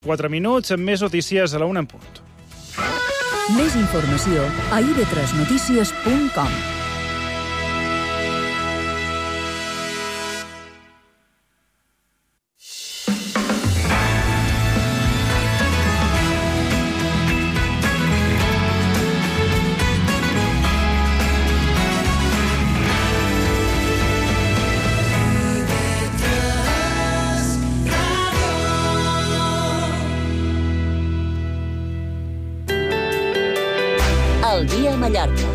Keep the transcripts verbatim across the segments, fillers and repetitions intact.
quatre minuts, amb més notícies a la una en punt. Més informació a i ve tres notícies punt com. El dia a Mallorca.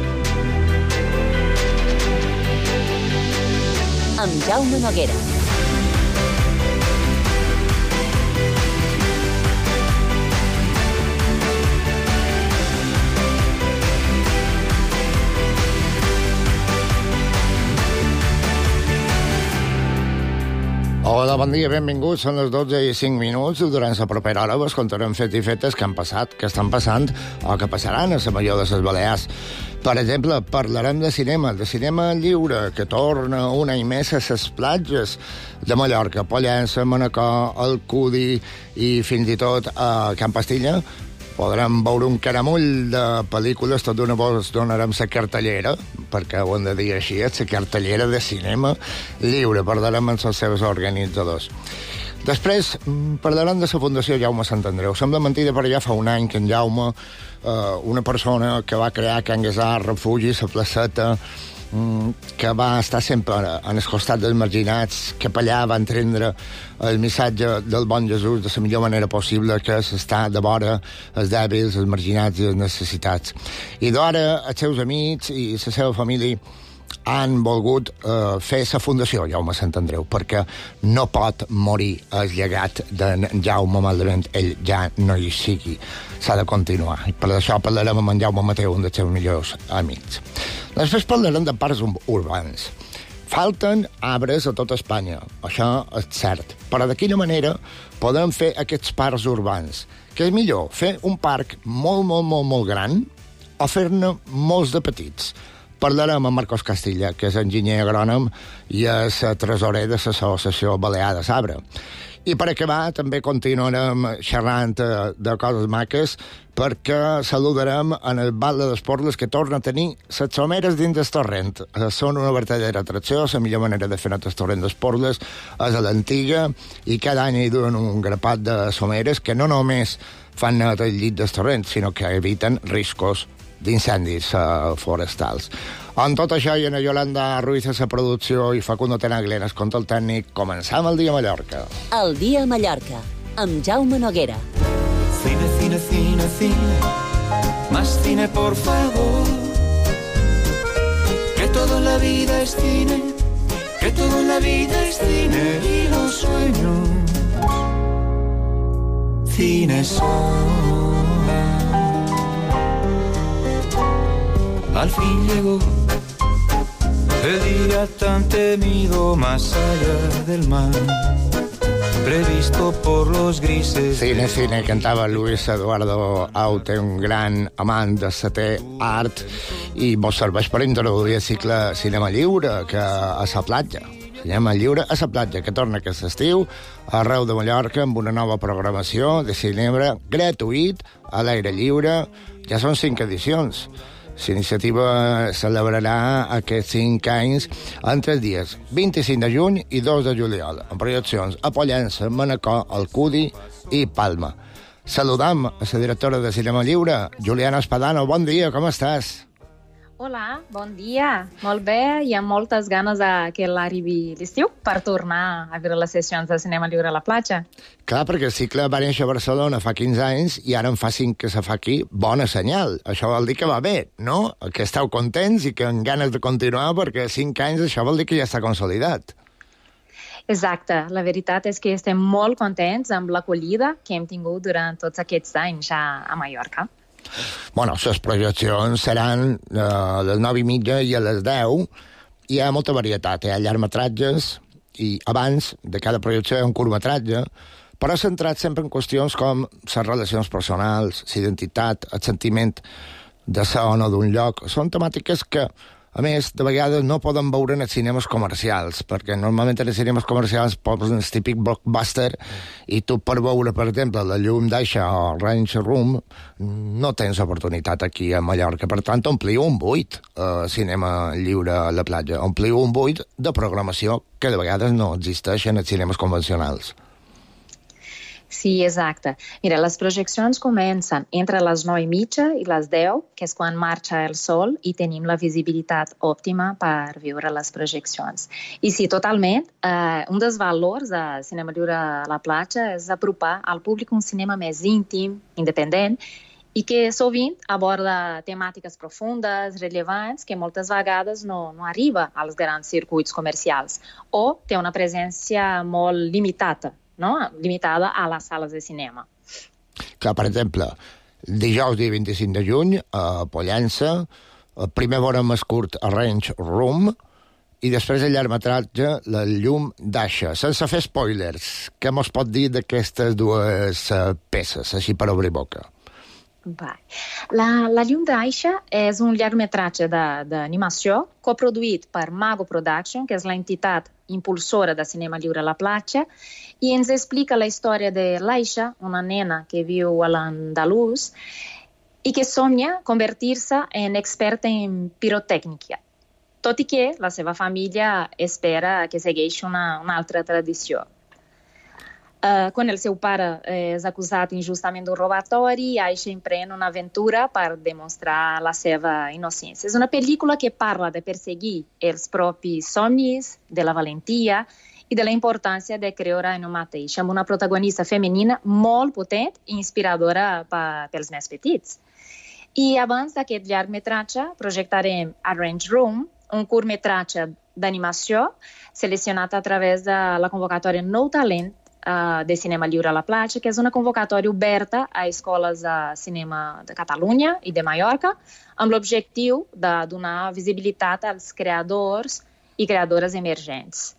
Amb Jaume Noguera. Hola, bon dia, benvinguts. Són les dotze i cinc minuts. Durant la propera hora vos contarem fets i fetes que han passat, que estan passant o que passaran a la major de les Balears. Per exemple, parlarem de cinema, de cinema lliure, que torna un any més a les platges de Mallorca, Pollença, Manacor, Alcúdia i fins i tot a Can Pastilla. Podrem veure un caramull de pel·lícules, tot d'una vos donarem la cartellera, perquè ho hem de dir així, la cartellera de cinema lliure, parlarem amb els seus organitzadors. Després parlarem de la Fundació Jaume Sant Andreu. Sembla mentida, però ja fa un any que en Jaume, eh, una persona que va crear Can Guesar, Refugi, la placeta, que va estar sempre en el costat dels marginats, que per allà va entendre el missatge del bon Jesús de la millor manera possible, que és estar de vora els dèbils, els marginats i les necessitats. I d'ara els seus amics i la seva família han volgut eh, fer la Fundació Jaume Sant Andreu, perquè no pot morir el llegat d'en Jaume malament ell ja no hi sigui. S'ha de continuar. I per això parlarem amb en Jaume Mateu, un dels seus millors amics. Després parlarem de parcs urbans. Falten arbres a tot Espanya, això és cert. Però de quina manera podem fer aquests parcs urbans? Què és millor, fer un parc molt, molt, molt, molt gran o fer-ne molts de petits? Parlarem amb Marcos Castilla, que és enginyer agrònom i és tresorer de l'Associació Balear de Sabre. I per acabar també continuarem xerrant de coses maques, perquè saludarem en el Val de l'Esporles, que torna a tenir les someres dins del torrent. Són una verdadera atracció, la millor manera de fer net el torrent d'Esporles és a l'antiga, i cada any hi duen un grapat de someres que no només fan net el llit del torrent, sinó que eviten riscos d'incendis uh, forestals. Amb tot això, i en Yolanda Ruiz a la producció i Facundo Tenaglia en el control tècnic, començam el dia a Mallorca. El dia a Mallorca, amb Jaume Noguera. Cine, cine, cine, cine, más cine, por favor. Que todo en la vida es cine, que todo en la vida es cine, y los sueños, cine son. Al fin llegó el día tan temido más allá del mar, previsto por los grises... Cine, cine, cantava Luis Eduardo Aute, un gran amant de setè art, i mos serveix per introduir el cicle Cinema Lliure, que a la platja. Cinema Lliure a la platja, que torna aquest estiu arreu de Mallorca amb una nova programació de cinema gratuït a l'aire lliure. Ja són cinc edicions. L'iniciativa celebrarà aquests cinc anys entre els dies vint-i-cinc de juny i dos de juliol, amb projeccions a Pollença, Manacor, Alcúdia i Palma. Saludam a la directora de Cinema Lliure, Juliana Espadano. Bon dia, com estàs? Hola, bon dia. Molt bé, i amb moltes ganes de que l'arribi l'estiu per tornar a veure les sessions de Cinema Lliure a la platja. Clar, perquè el cicle va néixer a Barcelona fa quinze anys i ara en fa cinc que se fa aquí. Bona senyal. Això vol dir que va bé, no? Que esteu contents i que amb ganes de continuar, perquè cinc anys això vol dir que ja està consolidat. Exacte. La veritat és que estem molt contents amb l'acollida que hem tingut durant tots aquests anys a, a Mallorca. Bueno, les projeccions seran eh, a les nou i mitja i a les deu. Hi ha molta varietat, hi ha llargmetratges i abans de cada projecció hi ha un curtmetratge, però centrat sempre en qüestions com les relacions personals, l'identitat, el sentiment de ser o no d'un lloc. Són temàtiques que A més, de vegades no poden veure en els cinemes comercials, perquè normalment en els cinemes comercials posen el típic blockbuster i tu per veure, per exemple, La llum d'aixa o Range Room no tens oportunitat aquí a Mallorca. Per tant, ompliu un buit a cinema lliure a la platja. Ompliu un buit de programació que de vegades no existeix en els cinemes convencionals. Sí, exacte. Mira, les projeccions comencen entre les nou i mitja i les deu, que és quan marxa el sol i tenim la visibilitat òptima per viure les projeccions. I sí, totalment, eh, un dels valors de Cinema Lliure a la platja és apropar al públic un cinema més íntim, independent, i que sovint aborda temàtiques profundes, rellevants, que moltes vegades no, no arriba als grans circuits comercials o té una presència molt limitada, no? limitada a les sales de cinema. Clar, per exemple, dijous dia vint-i-cinc de juny, a Pollença, primer veurem el curt Range Room i després el llargmetratge La llum d'aixa. Sense fer spoilers, què mos pot dir d'aquestes dues peces, així per obrir boca? La, la llum d'aixa és un llargmetratge d'animació coproduït per Mago Production, que és l'entitat impulsora de cinema lliure a la platja, i ens explica la història de l'Aixa, una nena que viu a l'Andalús i que somnia convertir-se en experta en pirotècnica, tot i que la seva família espera que segueixi una, una altra tradició. Uh, quan el seu pare és acusat injustament d'un robatori, Aisha emprèn una aventura per demostrar la seva innocència. És una pel·lícula que parla de perseguir els propis somnis, de la valentia i de la importància de creure en un mateix, amb una protagonista femenina molt potent i inspiradora pels més petits. I abans d'aquest llargmetratge projectarem A Range Room, un curtmetratge d'animació seleccionat a través de la convocatòria Nou Talent de Cinema Lliure a la platja, que és una convocatòria oberta a escoles de cinema de Catalunya i de Mallorca, amb l'objectiu de donar visibilitat als creadors i creadores emergents.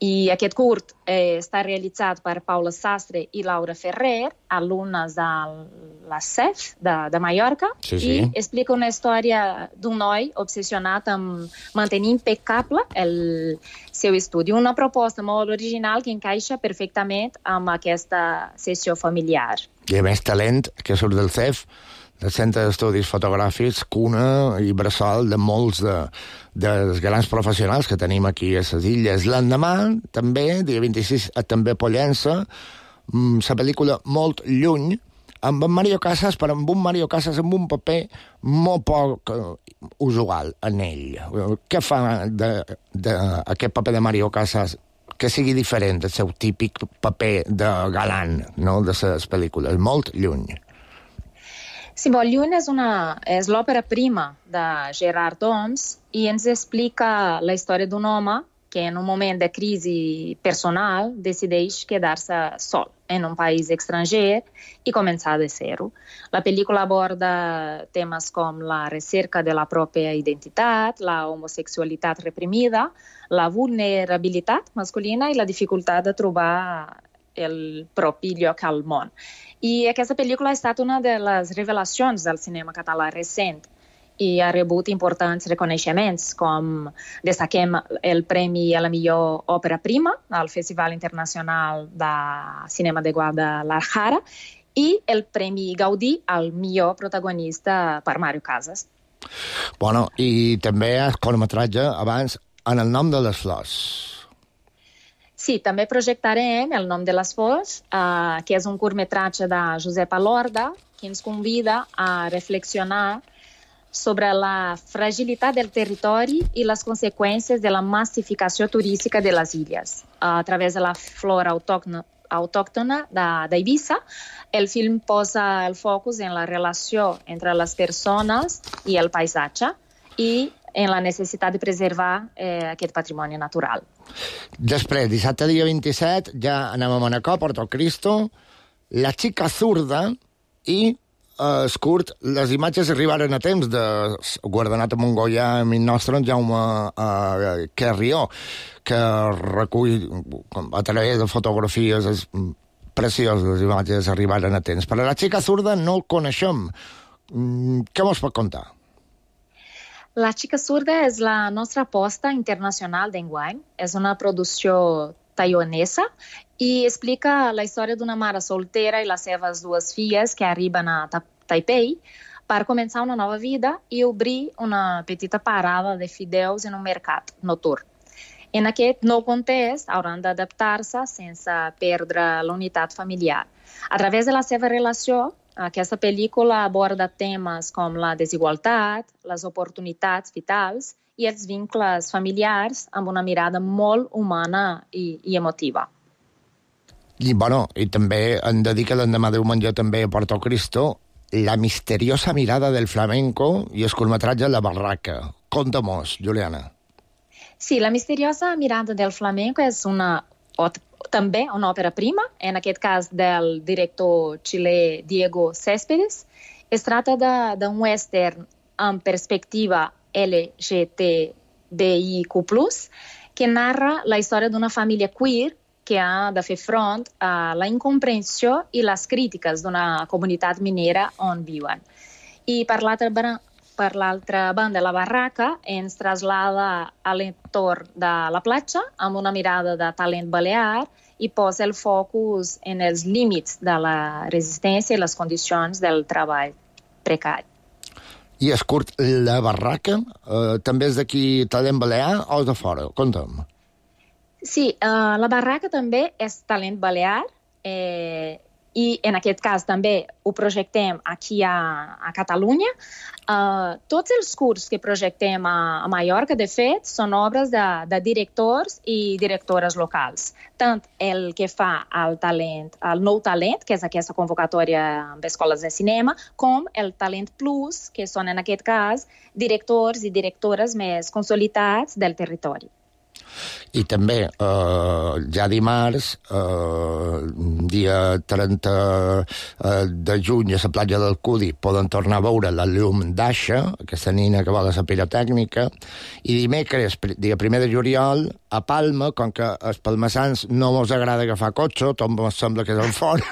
I aquest curt eh, està realitzat per Paula Sastre i Laura Ferrer, alumnes de la C E F de, de Mallorca, sí, sí. I explica una història d'un noi obsessionat amb mantenir impecable el seu estudi. Una proposta molt original que encaixa perfectament amb aquesta sessió familiar. I a més talent que surt del C E F, del Centre d'Estudis Fotogràfics, cuna i bressol de molts de, dels grans professionals que tenim aquí a les illes. L'endemà, també, dia vint-i-sis, també a Pollença, la pel·lícula Molt lluny, amb en Mario Casas, però amb un Mario Casas amb un paper molt poc usual en ell. Què fa d'aquest paper de Mario Casas que sigui diferent del seu típic paper de galant, no?, de les pel·lícules? Molt lluny. Sí, Molt lluny és, una, és l'òpera prima de Gerard Doms i ens explica la història d'un home que en un moment de crisi personal decideix quedar-se sol en un país estranger i començar de zero. La pel·lícula aborda temes com la recerca de la pròpia identitat, la homosexualitat reprimida, la vulnerabilitat masculina i la dificultat de trobar el propi lloc al món. I aquesta pel·lícula ha estat una de les revelacions del cinema català recent i ha rebut importants reconeixements, com destaquem el Premi a la millor òpera prima al Festival Internacional de Cinema de Guadalajara i el Premi Gaudí al millor protagonista per Mario Casas. Bueno, i també el curtmetratge abans En el nom de les flors. Sí, també projectarem El nom de les flors, eh, que és un curtmetratge de Josep Alorda, que ens convida a reflexionar sobre la fragilitat del territori i les conseqüències de la massificació turística de les illes. A través de la flora autòctona, autòctona d'Eivissa, el film posa el focus en la relació entre les persones i el paisatge i en la necessitat de preservar eh, aquest patrimoni natural. Després, dissabte dia vint-i-set, ja anem a Manacor, Porto Cristo, La xica zurda i eh, es curt, les imatges arribaren a temps de guardonat a Montgoià, amic nostre, en Jaume eh, Carrió, que recull a través de fotografies es, precioses, les imatges arribaren a temps. Però La xica zurda no el coneixem. Mm, què mos pot contar? La xica surda és la nostra aposta internacional d'enguany. És una producció taiwanesa i explica la història d'una mare soltera i les seves dues filles que arriben a Ta- Taipei per començar una nova vida i obrir una petita parada de fideus en un mercat nocturn. En aquest nou context hauran d'adaptar-se sense perdre la unitat familiar. A través de la seva relació, aquesta pel·lícula aborda temes com la desigualtat, les oportunitats vitals i els vincles familiars amb una mirada molt humana i, i emotiva. I, bueno, i també em dedica l'endemà diumenge també a Porto Cristo, La misteriosa mirada del flamenco i el curtmetratge La barraca. Conta-mos, Juliana. Sí, La misteriosa mirada del flamenco és una, o, també una òpera prima, en aquest cas del director xilè Diego Céspedes. Es tracta d'un western amb perspectiva L G T B I Q plus, que narra la història d'una família queer que ha de fer front a la incomprensió i les crítiques d'una comunitat minera on viuen. I per l'altra per l'altra banda, La barraca ens traslada a l'entorn de la platja amb una mirada de talent balear i posa el focus en els límits de la resistència i les condicions del treball precari. I és curt, La barraca eh, també és d'aquí talent balear o és de fora? Conta'm. Sí, uh, La barraca també és talent balear eh, i en aquest cas també ho projectem aquí a, a Catalunya. Uh, tots els curts que projectem a, a Mallorca, de fet, són obres de, de directors i directores locals. Tant el que fa el talent, el nou talent, que és aquesta convocatòria amb escoles de cinema, com el Talent Plus, que són en aquest cas directors i directores més consolidats del territori. I també, eh, ja dimarts, eh, dia trenta de juny, a la platja del Cudi, poden tornar a veure la llum d'Aixa, aquesta nina que va a la pirotècnica, i dimecres, dia primer de juliol, a Palma, com que els palmassans no mos agrada agafar cotxe, tot mos sembla que és en fora,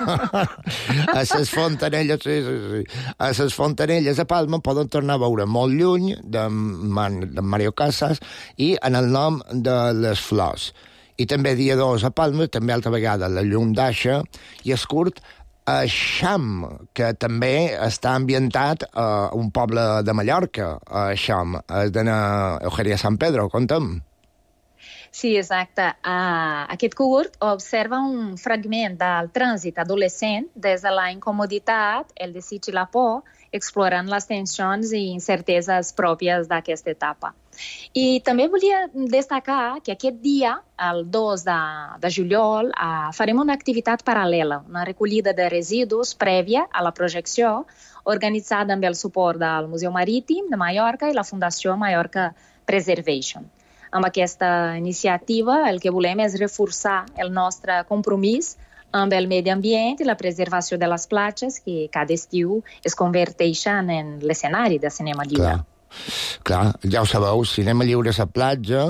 a les fontanelles, sí, sí, sí, a les fontanelles a Palma poden tornar a veure molt lluny de, Man, de Mario Casas i en el nom de les flors. I també dia dos a Palma, també altra vegada la llum d'Aixa, i és curt a Xam, que també està ambientat a un poble de Mallorca, a Xam, és d'anar Eugènia Sant Pedro, conta'm. Sí, exacte. Uh, aquest curt observa un fragment del trànsit adolescent des de la incomoditat, el desig i la por, explorant les tensions i incerteses pròpies d'aquesta etapa. I també volia destacar que aquest dia, el dos de, de juliol, uh, farem una activitat paral·lela, una recollida de residus prèvia a la projecció, organitzada amb el suport del Museu Marítim de Mallorca i la Fundació Mallorca Preservation. Amb aquesta iniciativa el que volem és reforçar el nostre compromís amb el medi ambient i la preservació de les platges que cada estiu es converteixen en l'escenari de cinema lliure. Clar. Clar, ja ho sabeu, cinema lliure a la platja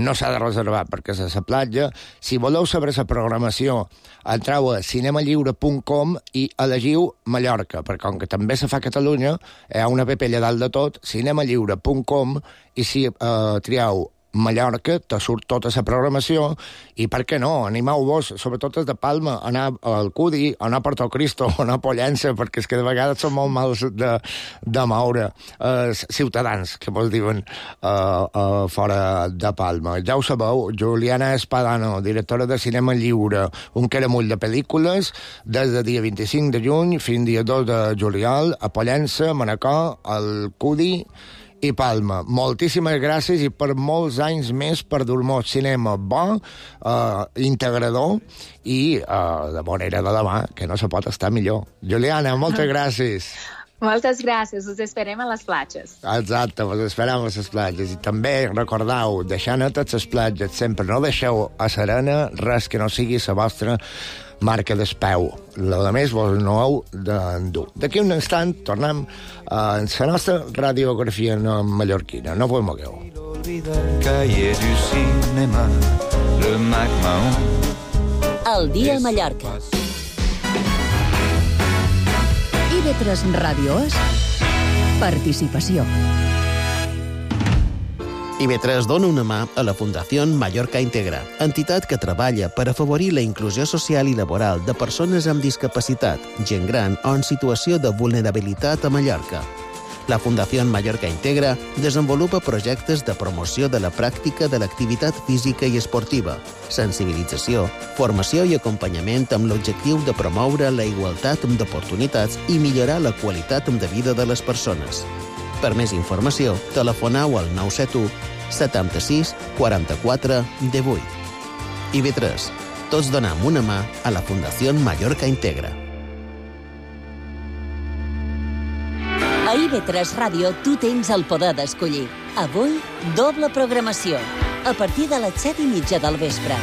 no s'ha de reservar perquè és a la platja. Si voleu saber la programació, entreu a cinema lliure punt com i elegiu Mallorca, perquè com que també se fa a Catalunya, hi ha una app allà dalt de tot, cinema lliure punt com, i si eh, trieu Mallorca, te surt tota la programació, i per què no? Animeu-vos, sobretot els de Palma, anar al Cudi, anar a Porto Cristo, anar a Pollença, perquè és que de vegades són molt mals de, de moure eh, ciutadans, que vos diuen eh, eh, fora de Palma. Ja ho sabeu, Juliana Espadano, directora de Cinema Lliure, un caramull de pel·lícules, des del dia vint-i-cinc de juny fins al dia dos de juliol, a Pollença, Manacor, al Cudi i Palma. Moltíssimes gràcies i per molts anys més per dur-nos cinema bo, eh, integrador i eh, de manera de demà, que no se pot estar millor. Juliana, moltes gràcies. Moltes gràcies, us esperem a les platges. Exacte, us esperem a les platges. I també recordeu, deixar netes les platges sempre, no deixeu a serena res que no sigui la vostra marca d'espeu. La de més vos no heu d'endur. D'aquí un instant tornem a la nostra radiografia mallorquina. No vos mogueu. Cahier du cinéma, le Mac-Mahon. El dia a Mallorca. I ve tres Ràdio és participació. I B tres dona una mà a la Fundació Mallorca Integra, entitat que treballa per afavorir la inclusió social i laboral de persones amb discapacitat, gent gran o en situació de vulnerabilitat a Mallorca. La Fundació Mallorca Integra desenvolupa projectes de promoció de la pràctica de l'activitat física i esportiva, sensibilització, formació i acompanyament amb l'objectiu de promoure la igualtat d'oportunitats i millorar la qualitat de vida de les persones. Per més informació, telefoneu al nou set u setanta-sis quaranta-quatre divuit. I B tres. Tots donem una mà a la Fundació Mallorca Integra. A I B tres Ràdio tu tens el poder d'escollir. Avui, doble programació. A partir de les set i mitja del vespre.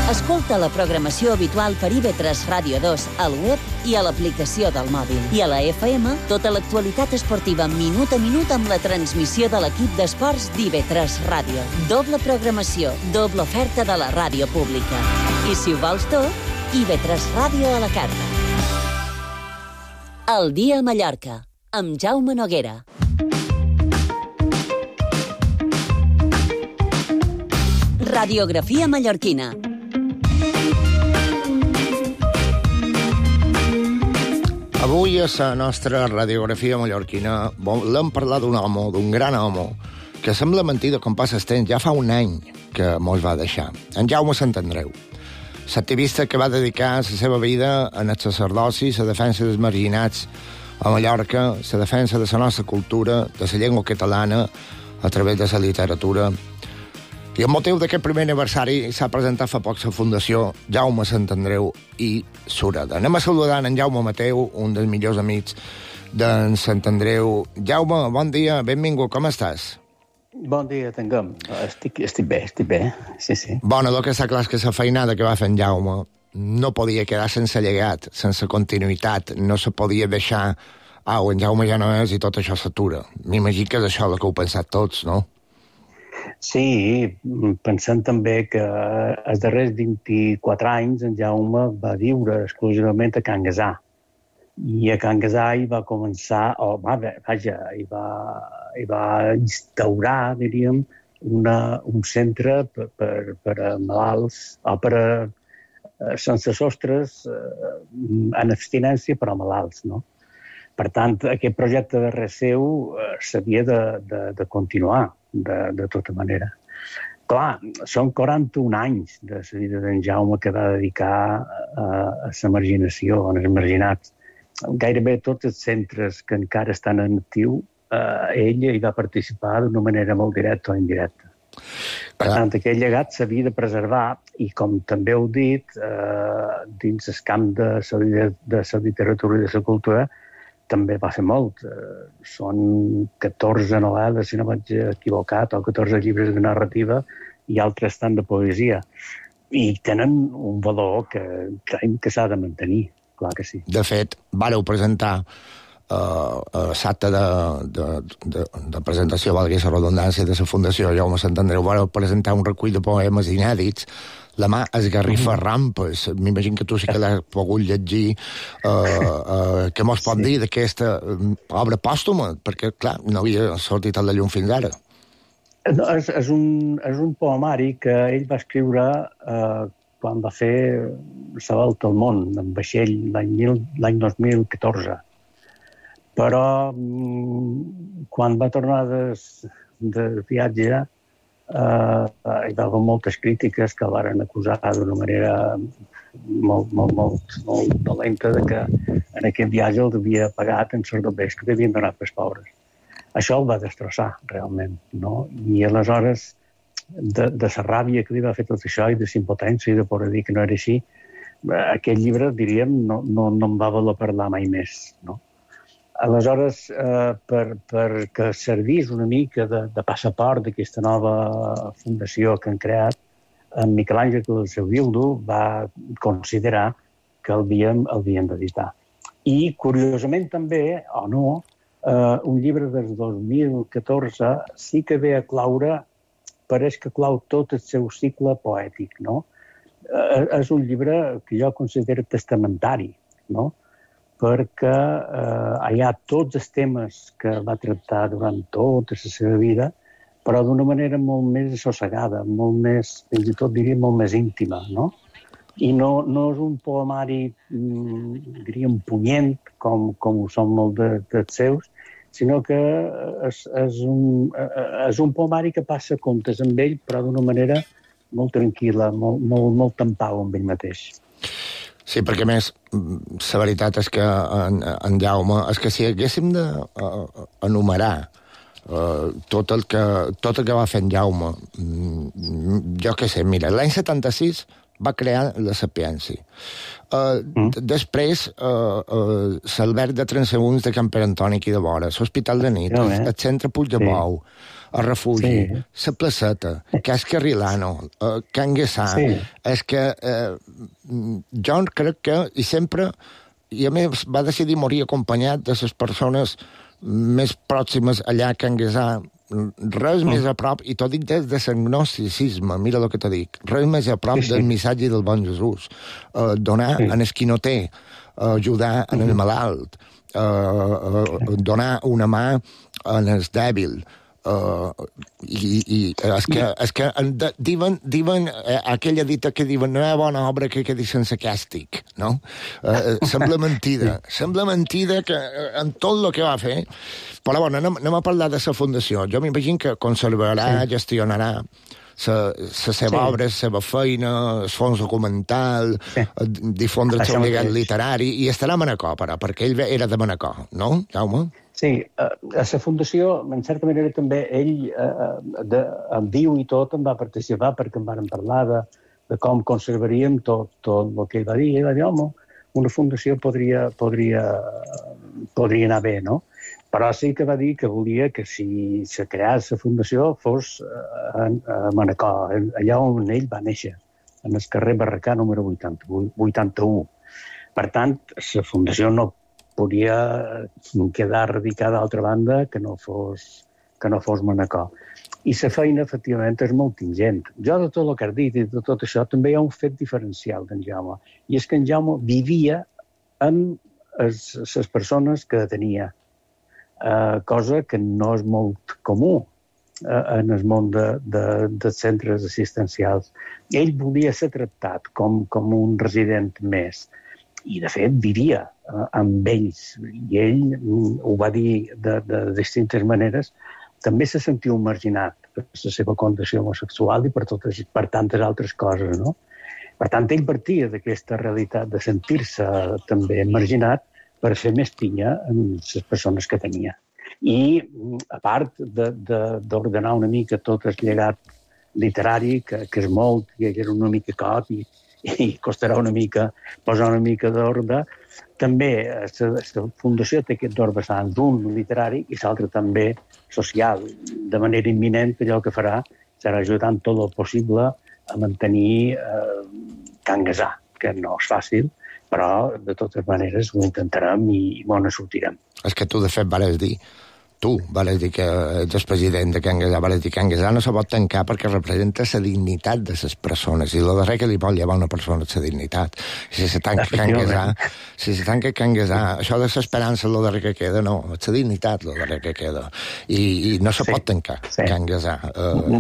Escolta la programació habitual per I B tres Ràdio dos al web i a l'aplicació del mòbil. I a la F M, tota l'actualitat esportiva minut a minut amb la transmissió de l'equip d'esports d'I B tres Ràdio. Doble programació, doble oferta de la ràdio pública. I si ho vols tot, I B tres Ràdio a la carta. El dia a Mallorca, amb Jaume Noguera. Radiografia mallorquina. Avui a la nostra radiografia mallorquina volem parlar d'un home, d'un gran home, que sembla mentida com passa el temps, ja fa un any que mos va deixar. En Jaume Santandreu, l'activista que va dedicar la seva vida en el sacerdoci, la defensa dels marginats a Mallorca, la defensa de la nostra cultura, de la llengua catalana, a través de la literatura. I amb motiu d'aquest primer aniversari s'ha presentat fa poc la Fundació Jaume Santandreu i Sureda. Anem a saludar en Jaume Mateu, un dels millors amics d'en Santandreu. Jaume, bon dia, benvingut, com estàs? Bon dia, tinguem. Estic, estic bé, estic bé, sí, sí. Bueno, el que està clar és que la feinada que va fer en Jaume no podia quedar sense llegat, sense continuïtat, no se podia deixar, au, en Jaume ja no és i tot això s'atura. M'imagino que és això el que heu pensat tots, no? Sí, pensant també que els darrers vint-i-quatre anys en Jaume va viure exclusivament a Can Gasà. I a Can Gasà hi va començar, o va, vaja, hi va, hi va instaurar, diríem, una, un centre per, per, per a malalts, o per a sense sostres, en abstinència, però malalts, no? Per tant, aquest projecte de res seu s'havia de, de, de continuar. De, de tota manera. Clar, són quaranta-un anys de la vida d'en Jaume que va dedicar a, a la marginació, als marginats. Gairebé tots els centres que encara estan en actiu, eh, ell hi va participar d'una manera molt directa o indirecta. Per tant, aquest llegat s'havia de preservar i, com també heu dit, eh, dins el camp de la, de la literatura i de la cultura, també va fer molt. Són catorze novel·les, si no vaig equivocat, o catorze llibres de narrativa i altres tant de poesia. I tenen un valor que creiem que s'ha de mantenir, clar que sí. De fet, vàreu presentar uh, l'acte de, de, de, de presentació, valgui la redundància, de la Fundació Jaume Santandreu, vàreu presentar un recull de poemes inèdits. La mà esgarrifa mm-hmm. rampes. M'imagino que tu sí que l'has pogut llegir. Uh, uh, què mos pot sí. dir d'aquesta obra pòstuma? Perquè, clar, no havia sortit a la llum fins ara. No, és, és, un, és un poemari que ell va escriure uh, quan va fer la volta al món, en vaixell, l'any dos mil catorze. Però um, quan va tornar de, de viatge, Uh, uh, hi va haver moltes crítiques que el van acusar d'una manera molt, molt, molt, molt dolenta de que en aquest viatge el havia pagat en sordobers que havien donat pels pobres. Això el va destrossar, realment, no? I aleshores, de, de la ràbia que li va fer tot això i de la impotència i de poder dir que no era així, aquest llibre, diríem, no, no, no em va voler parlar mai més, no? Aleshores, eh, per, per que servís una mica de, de passaport d'aquesta nova fundació que han creat, en Miquel Àngel del seu Bildu va considerar que el havíem, el havíem d'editar. I, curiosament també, o no, eh, un llibre del dos mil catorze sí que ve a claure, pareix que clau tot el seu cicle poètic, no? Eh, és un llibre que jo considero testamentari, no? Perquè eh, hi ha tots els temes que va tractar durant tota la seva vida, però d'una manera molt més assossegada, molt més, fins i tot diria, molt més íntima, no? I no, no és un poemari, mm, diríem, punyent, com, com ho són molt de, dels seus, sinó que és, és, un, és un poemari que passa comptes amb ell, però d'una manera molt tranquil·la, molt, molt, molt tampau amb ell mateix. Sí, perquè a més, la veritat és que en, en Jaume, és que si haguéssim d'enumerar Uh, tot, el que, tot el que va fer en Jaume, mm, jo què sé, mira, l'any setanta-sis va crear la Sapiència. Uh, mm. Després, uh, uh, l'alberg de transeünts de Can Pere Antoni aquí de vora, l'Hospital de nit, el, el centre Puigdemont, sí. El refugi, sí. La placeta, Cas Carrilano, uh, Can Guessà. Sí. És que uh, jo crec que, i sempre, i a més va decidir morir acompanyat de les persones més pròximes allà a Can Guessà, res mm. més a prop, i t'ho dic des de l'agnosticisme, mira el que t'ho dic, res més a prop sí, sí. del missatge del bon Jesús. Uh, donar sí. en el qui no té, uh, ajudar en el malalt, uh, uh, donar una mà en el dèbil. Uh, i, i és que, és que diuen, diuen eh, aquella dita que diuen no hi ha bona obra que quedi sense càstig, no? Uh, sembla mentida, sembla mentida que en tot el que va fer, però bueno, anem, anem a parlar de la fundació. Jo m'imagino que conservarà, sí. gestionarà la seva sí. obra, la seva feina, el fons documental, sí. difondre el seu llegat literari, i estarà a Manacor, però, perquè ell era de Manacor, no, Jaume? Sí, a la fundació, en certa manera, també ell, eh, de, en viu i tot, en va participar, perquè en vàrem parlar de, de com conservaríem tot, tot el que ell va dir. Ell va dir, home, una fundació podria, podria, podria anar bé, no? Però sí que va dir que volia que si se creés la fundació fos a, a Manacor, allà on ell va néixer, en el carrer Barracà número vuitanta-u. Per tant, la fundació no podria quedar radicada d'altra banda que no fos, que no fos Manacor. I la feina, efectivament, és molt ingent. Jo, de tot el que has dit i de tot això, també hi ha un fet diferencial d'en Jaume, i és que en Jaume vivia amb les persones que tenia, eh, cosa que no és molt comú eh, en el món de, de, de centres assistencials. Ell volia ser tractat com, com un resident més, i, de fet, vivia eh, amb ells. I ell mm, ho va dir de, de distintes maneres. També se sentia marginat per la seva condició homosexual i per, totes, per tantes altres coses, no? Per tant, ell partia d'aquesta realitat de sentir-se també marginat per fer més pinya amb les persones que tenia. I, a part d'ordenar una mica tot el llegat literari, que, que és molt, que és una mica cot i i costarà una mica posar una mica d'ordre. També la fundació té aquests dos vessants, un literari i l'altre també social. De manera imminent, allò que farà serà ajudant tot el possible a mantenir eh, Can Guessà, que no és fàcil, però de totes maneres ho intentarem i bon ne sortirem. És que tu, de fet, vares dir, tu vares dir que ets el president de Can Guessà, vares dir que Can Guessà no se pot tancar perquè representa la dignitat de les persones, i el darrer que li pot llevar a una persona és la dignitat. Si se tanca Can Guessà, si se tanca Can Guessà, això de l'esperança és el darrer que queda, no, és la dignitat el darrer que queda. I, i no se sí, pot tancar sí. Can Guessà. Uh,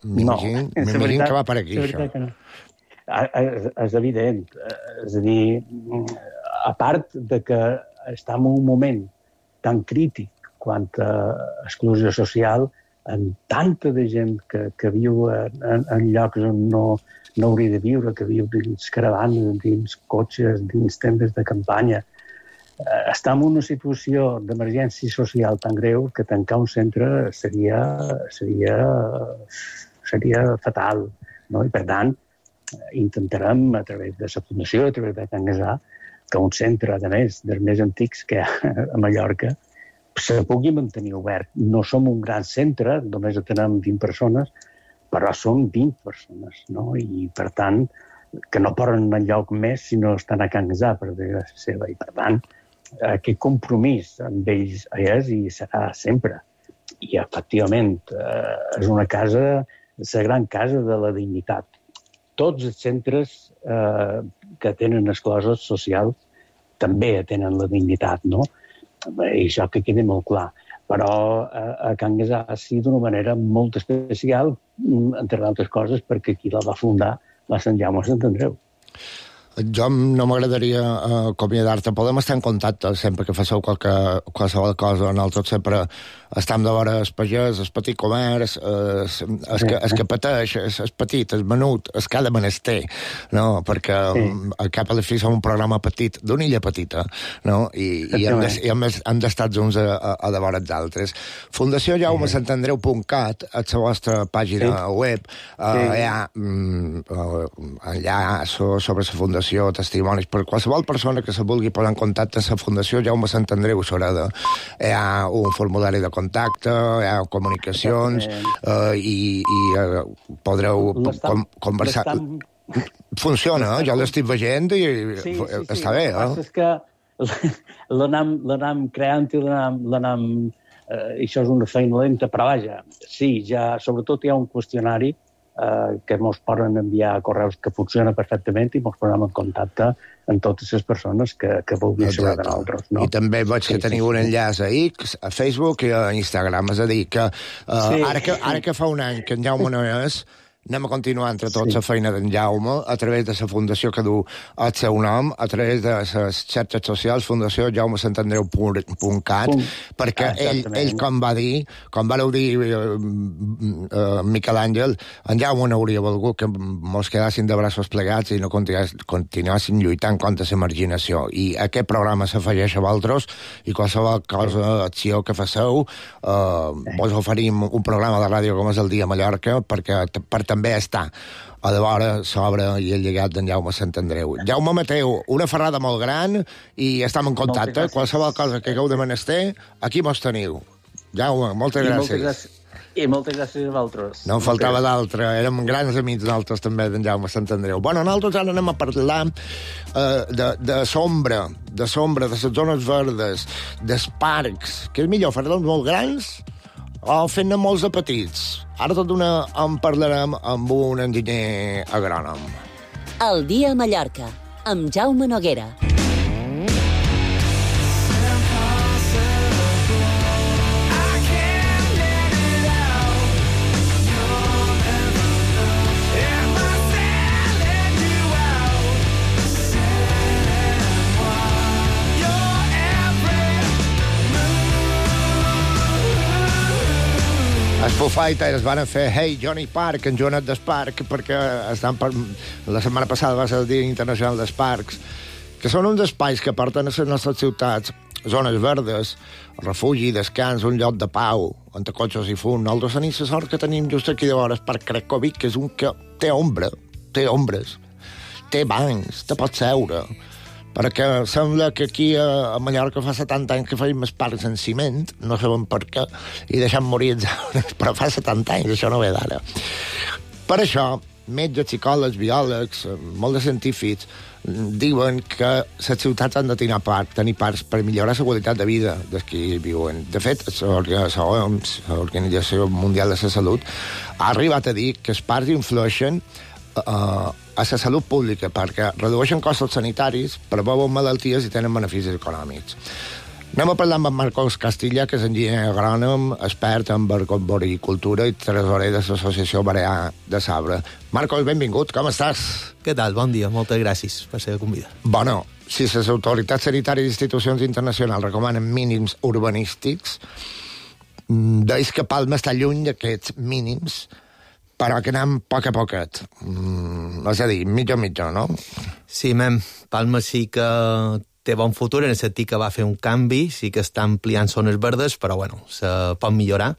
M'imagino no, que va per aquí, això. No. És evident. És a dir, a part de que estem en un moment tan crític quant a exclusió social, en tanta de gent que, que viu en, en llocs on no, no hauria de viure, que viu dins caravanes, dins cotxes, dins tendes de campanya. Eh, està en una situació d'emergència social tan greu que tancar un centre seria, seria, seria fatal, no? I, per tant, intentarem, a través de la Fundació, a través de Can Guessà, que un centre, a més, dels més antics que hi ha a Mallorca, se pugui mantenir obert. No som un gran centre, només tenim vint persones, però són vint persones, no? I, per tant, que no poden enlloc més si no estan a Can Guessà, per desgràcia seva. I, per tant, aquest compromís amb ells és i serà sempre. I, efectivament, és una casa, és la gran casa de la dignitat. Tots els centres eh, que tenen exclosos socials també tenen la dignitat, no? I això que quedi molt clar. però a, a Cangas ha sigut d'una manera molt especial, entre altres coses, perquè qui la va fundar va Sant Jaume Sant Andreu. Jo no m'agradaria uh, acomiadar-te. Podem estar en contacte sempre que faceu qualque, qualsevol cosa. Nosaltres sempre estem de veure el pagès, el petit comerç, el, el, que, el que pateix, el, el petit, el menut, el que ha de menester, no? Perquè sí. al cap a la fi som un programa petit, d'una illa petita, no? I, i hem, de, i hem, hem d'estar junts a, a, a de veure els altres. Fundació Jaume Sant Andreu punt cat, a la vostra pàgina sí. web, uh, sí. hi ha mm, uh, enllaç sobre la fundació, testimonis, per qualsevol persona que se vulgui posar en contacte amb la Fundació Jaume Sant Andreu Sureda. Hi ha un formulari de contacte, hi ha comunicacions, eh, i, i eh, podreu com, conversar. Funciona, eh? Jo l'estic veient i sí, sí, sí. està bé. Eh? El que passa és que l'anam creant i l'anam... Eh, això és una feina lenta, però vaja, sí, ja, sobretot hi ha un qüestionari Uh, que ens poden enviar correus que funciona perfectament i ens posem en contacte amb totes les persones que, que vulguin saber de nosaltres. No? I també veig que sí, teniu sí, un enllaç a X, a Facebook i a Instagram. És a dir, que, uh, sí. ara, que ara que fa un any que en Jaume no és, anem a continuar entre tots sí. la feina d'en Jaume a través de la fundació que du el seu nom, a través de les xarxes socials, Fundació Jaume Sant Andreu punt cat, perquè ah, ell, ell, com va dir, com va dir uh, uh, Miquel Àngel, en Jaume no hauria volgut que mos quedassin de braços plegats i no continuassin lluitant contra la marginació. I aquest programa s'afegeix a vosaltres i qualsevol cosa, acció que faceu, uh, vos oferim un programa de ràdio com és el Dia Mallorca, perquè per també està a de vora l'obra i el llegat d'en Jaume Sant Andreu. Jaume Mateu, una ferrada molt gran i estem en contacte. Qualsevol cosa que hagueu de menester, aquí mos teniu. Jaume, moltes I gràcies. Moltes gràcies. I moltes gràcies a vosaltres. No en faltava d'altre. Érem grans amics nosaltres també d'en Jaume Sant Andreu. Bueno, nosaltres ara anem a parlar uh, de, de sombra, de sombra, de les zones verdes, dels parcs. Què és millor, fer-los molt grans o fent-ne molts de petits? Ara tot d'una en parlarem amb un enginyer agrònom. El dia a Mallorca, amb Jaume Noguera. Els Foo Fighters van fer Hey Johnny Park en Joanet d'Esparc, perquè estan per... la setmana passada va ser el Dia Internacional dels Parcs, que són uns espais que porten a les nostres ciutats zones verdes, refugi, descans, un lloc de pau, on cotxes i fum. Nosaltres tenim la sort que tenim just aquí de vora el Parc Cracòvic, que és un que té ombra, té ombres, té bancs, te pots seure, perquè sembla que aquí a Mallorca fa setanta anys que feim els parcs en ciment, no sabem per què, i deixem morir els arbres, però fa setanta anys, això no ve d'ara. Per això, metges, psicòlegs, biòlegs, molts de científics, diuen que les ciutats han de tenir parcs, tenir parcs per millorar la qualitat de vida dels que hi viuen. De fet, l'Organització Mundial de la Salut ha arribat a dir que els parcs influeixen Uh, a la salut pública, perquè redueixen costos sanitaris, preveuen malalties i tenen beneficis econòmics. Anem a parlar amb en Marcos Castilla, que és enginyer agrònom, expert en arboricultura i tresorer de l'Associació Balear de Sabre. Marcos, benvingut, com estàs? Què tal? Bon dia, moltes gràcies per ser convidat. Bueno, si les autoritats sanitàries i institucions internacionals recomanen mínims urbanístics, deis que Palma està lluny d'aquests mínims, però que anem poc a poquet. Mm, és a dir, mitja mitja, no? Sí, mem, Palma sí que té bon futur, en el sentit que va fer un canvi, sí que està ampliant zones verdes, però bueno, se pot millorar,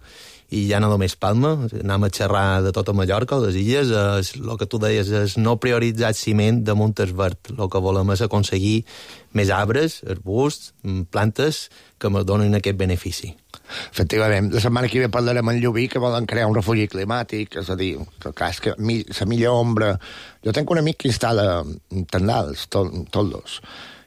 i ja no només Palma, anem a xerrar de tota Mallorca, les illes, és, el que tu deies és no prioritzar ciment damunt el verd. El que volem és aconseguir més arbres, arbusts, plantes que ens donin aquest benefici. Efectivament, la setmana que ve parlarem en Llubí, que volen crear un refugi climàtic, és a dir, que, que és que la millor ombra... Jo tenc un amic que instal·la tendals, tol, toldos,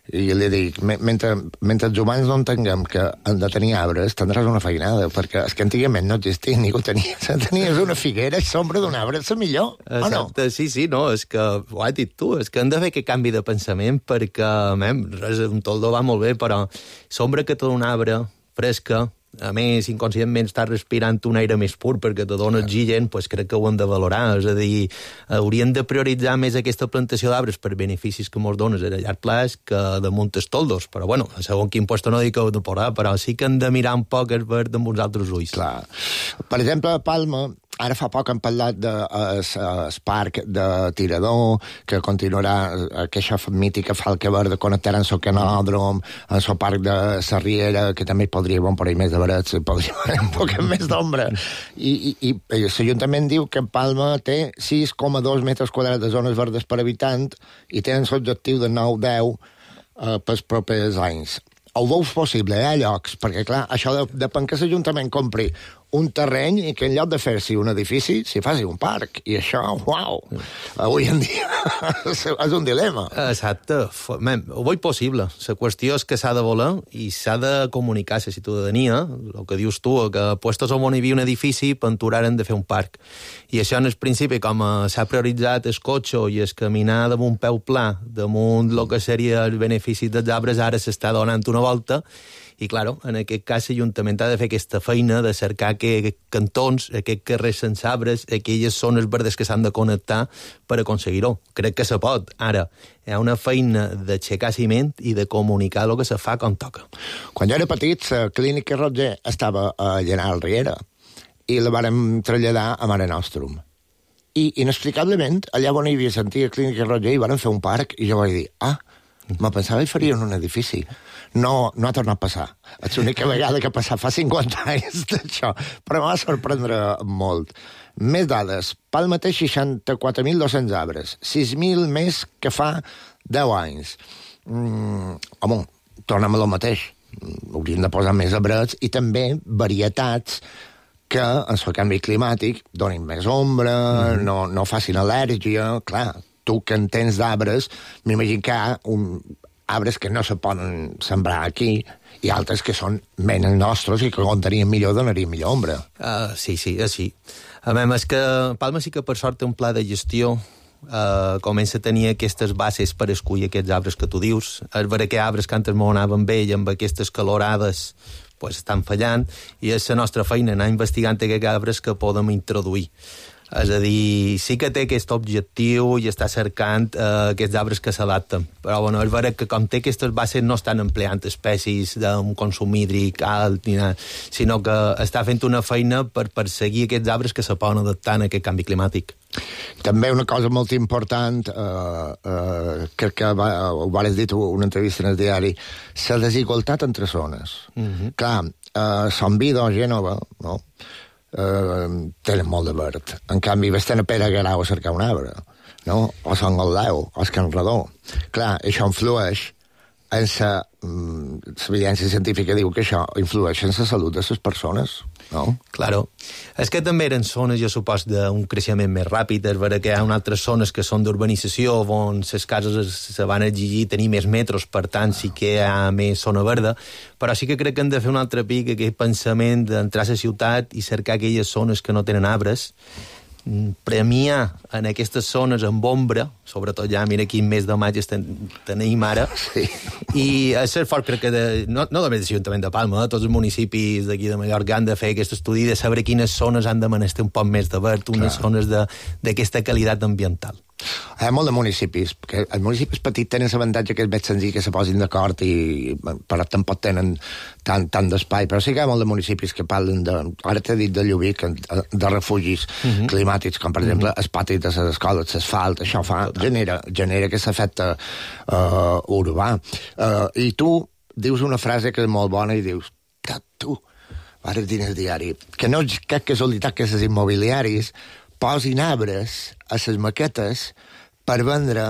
i li dic, mentre, mentre els humans no entenguem que han de tenir arbres, tindràs una feinada, perquè és que antigament no existia, ningú tenia. Tenies una figuera i sombra d'un arbre, és la millor, Exacte, o no? Sí, sí, no, és que ho has dit tu, és que hem de fer aquest canvi de pensament, perquè, mem, res, un toldo va molt bé, però sombra que té un arbre fresca, A més, inconscientment estàs respirant un aire més pur perquè te dona oxigen, pues crec que ho hem de valorar. És a dir, hauríem de prioritzar més aquesta plantació d'arbres per beneficis que mos dones a llarg plaç que damunt els toldos. Però, bueno, segons quin puesto no dic que ho de posar, però sí que hem de mirar un poc el verd amb uns altres ulls. Clar. Per exemple, a Palma, ara fa poc hem parlat del de, parc de Tirador, que continuarà aquesta mítica falca verda connectarà amb el canòdrom, amb el parc de la Riera, que també podria bon per ahí més de verets, podria haver un poc més d'ombra. I, i, i l'Ajuntament diu que Palma té sis coma dos metres quadrats de zones verdes per habitant i tenen l'objectiu de nou deu eh, pels propers anys. Ho veus possible, eh, llocs? Perquè, clar, això de, depèn que l'Ajuntament compri un terreny i que en lloc de fer-s'hi un edifici, s'hi faci un parc. I això, uau, avui en dia és un dilema. Exacte. Man, ho veig possible. La qüestió és que s'ha de voler i s'ha de comunicar a la ciutadania, el que dius tu, que puestos on hi havia un edifici, penturaren de fer un parc. I això en el principi, com s'ha prioritzat el cotxe i el caminar damunt un peu pla, damunt el que seria el benefici dels arbres, ara s'està donant una volta. I, claro, en aquest cas l'Ajuntament ha de fer aquesta feina de cercar que cantons, aquests carrers sense arbres, aquelles zones verdes que s'han de connectar per aconseguir-ho. Crec que se pot. Ara, hi ha una feina d'aixecar ciment i de comunicar el que se fa com toca. Quan jo era petit, la clínica Roger estava a Llenal Riera i la vàrem traslladar a Mare Nostrum. I, inexplicablement, allà on hi havia sentit la clínica Roger hi vàrem fer un parc i jo vaig dir, ah, me pensava que farien un edifici. No, no ha tornat a passar. És l'única vegada que ha passat fa cinquanta anys d'això, però em va sorprendre molt. Més dades. Palma té seixanta-quatre mil dos-cents arbres, sis mil més que fa deu anys. Mm, home, tornem a lo mateix. Hauríem de posar més arbres i també varietats que, en el canvi climàtic, donin més ombra, mm. no, no facin al·lèrgia. Clar, tu que en tens d'arbres, m'imagino que hi ha un arbres que no se poden sembrar aquí i altres que són menys nostres i que on tenien millor donarien millor ombra. Uh, sí, sí, sí. A més, és que Palma sí que per sort té un pla de gestió, uh, comença a tenir aquestes bases per escollir aquests arbres que tu dius. És vera que arbres que antes m'ho anaven bé i amb aquestes calorades pues, estan fallant, i és la nostra feina anar investigant aquests arbres que podem introduir. És a dir, sí que té aquest objectiu i està cercant eh, aquests arbres que s'adapten. Però, bueno, és vera que com té aquestes bases no estan empleant espècies d'un consum hídric alt, ni nada, sinó que està fent una feina per perseguir aquests arbres que se poden adaptar a aquest canvi climàtic. També una cosa molt important, eh, eh, crec que va, ho vas dir tu una entrevista en el diari, la desigualtat entre zones. Mm-hmm. Clar, eh, Sant Vido, Gènova, no?, Uh, tenen molt de verd. En canvi, vés-te'n a Pere Garau a cercar un arbre, no? O Sant Goldeu, o Can Redó. Clar, això influeix en la... L'evidència científica diu que això influeix en la salut de les persones, no? Claro. És que també eren zones, jo supos, d'un creixement més ràpid. És vera que hi ha unes altres zones que són d'urbanització, on les cases se van exigir tenir més metros, per tant sí que hi ha més zona verda, però sí que crec que hem de fer un altre pic, aquest pensament d'entrar a la ciutat i cercar aquelles zones que no tenen arbres, premiar en aquestes zones amb ombra, sobretot ja, mira quin mes de maig ten, tenim ara, sí. I és cert fort, crec que de, no, no només de l'Ajuntament de Palma, eh, tots els municipis d'aquí de Mallorca han de fer aquest estudi de saber quines zones han de menester un poc més de verd, unes Clar. zones d'aquesta qualitat ambiental. Hi ha molt de municipis, perquè els municipis petits tenen l'avantatge que és més senzill que se posin d'acord i però tampoc tenen tant, tant d'espai, però sí que hi ha molt de municipis que parlen de, ara t'he dit de Llubí, de refugis uh-huh. climàtics, com per exemple uh-huh. els patis de les escoles, l'asfalt, això fa, genera, genera aquest efecte uh, urbà. Uh, I tu dius una frase que és molt bona i dius, tu, ara dir el diari, que no és cap casualitat que els immobiliaris posin arbres a les maquetes per vendre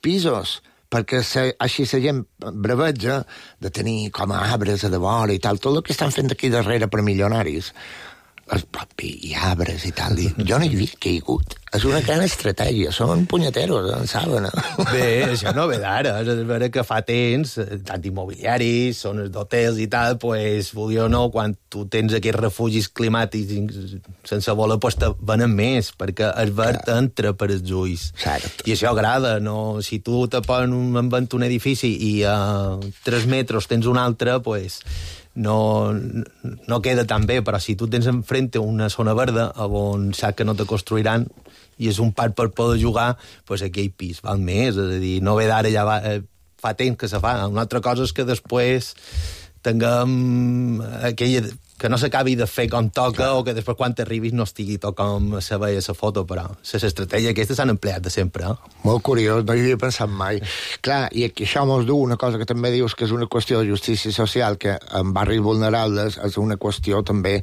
pisos, perquè se, així la gent braveja de tenir com a arbres a de vora i tal, tot el que estan fent aquí darrere per milionaris, es propi i arbres i tal, i jo no hi havia caigut. És una gran estratègia, són punyeteros, en saben. Bé, això no ve d'ara, és vera que fa temps, tant immobiliaris, zones d'hotels i tal, pues, vulgui o no, quan tu tens aquests refugis climàtics sense voler, pues te venen més, perquè el verd entra per els ulls. Cert. I això agrada, no? Si tu te posen un, un edifici i a tres metres tens un altre, pues, no, no queda tan bé, però si tu tens enfrente una zona verda on saps que no te construiran i és un parc per poder jugar, doncs aquell pis val més, és a dir, no ve d'ara, ja va, eh, fa temps que se fa. Una altra cosa és que després tinguem aquella, que no s'acabi de fer com toca, clar, o que després quan t'arribis no estigui tot com se veia la foto, però les estratègies aquestes s'han empleat de sempre. Eh? Molt curiós, no hi havia pensat mai. Clar, i aquí això mos du una cosa que també dius que és una qüestió de justícia social, que en barris vulnerables és una qüestió també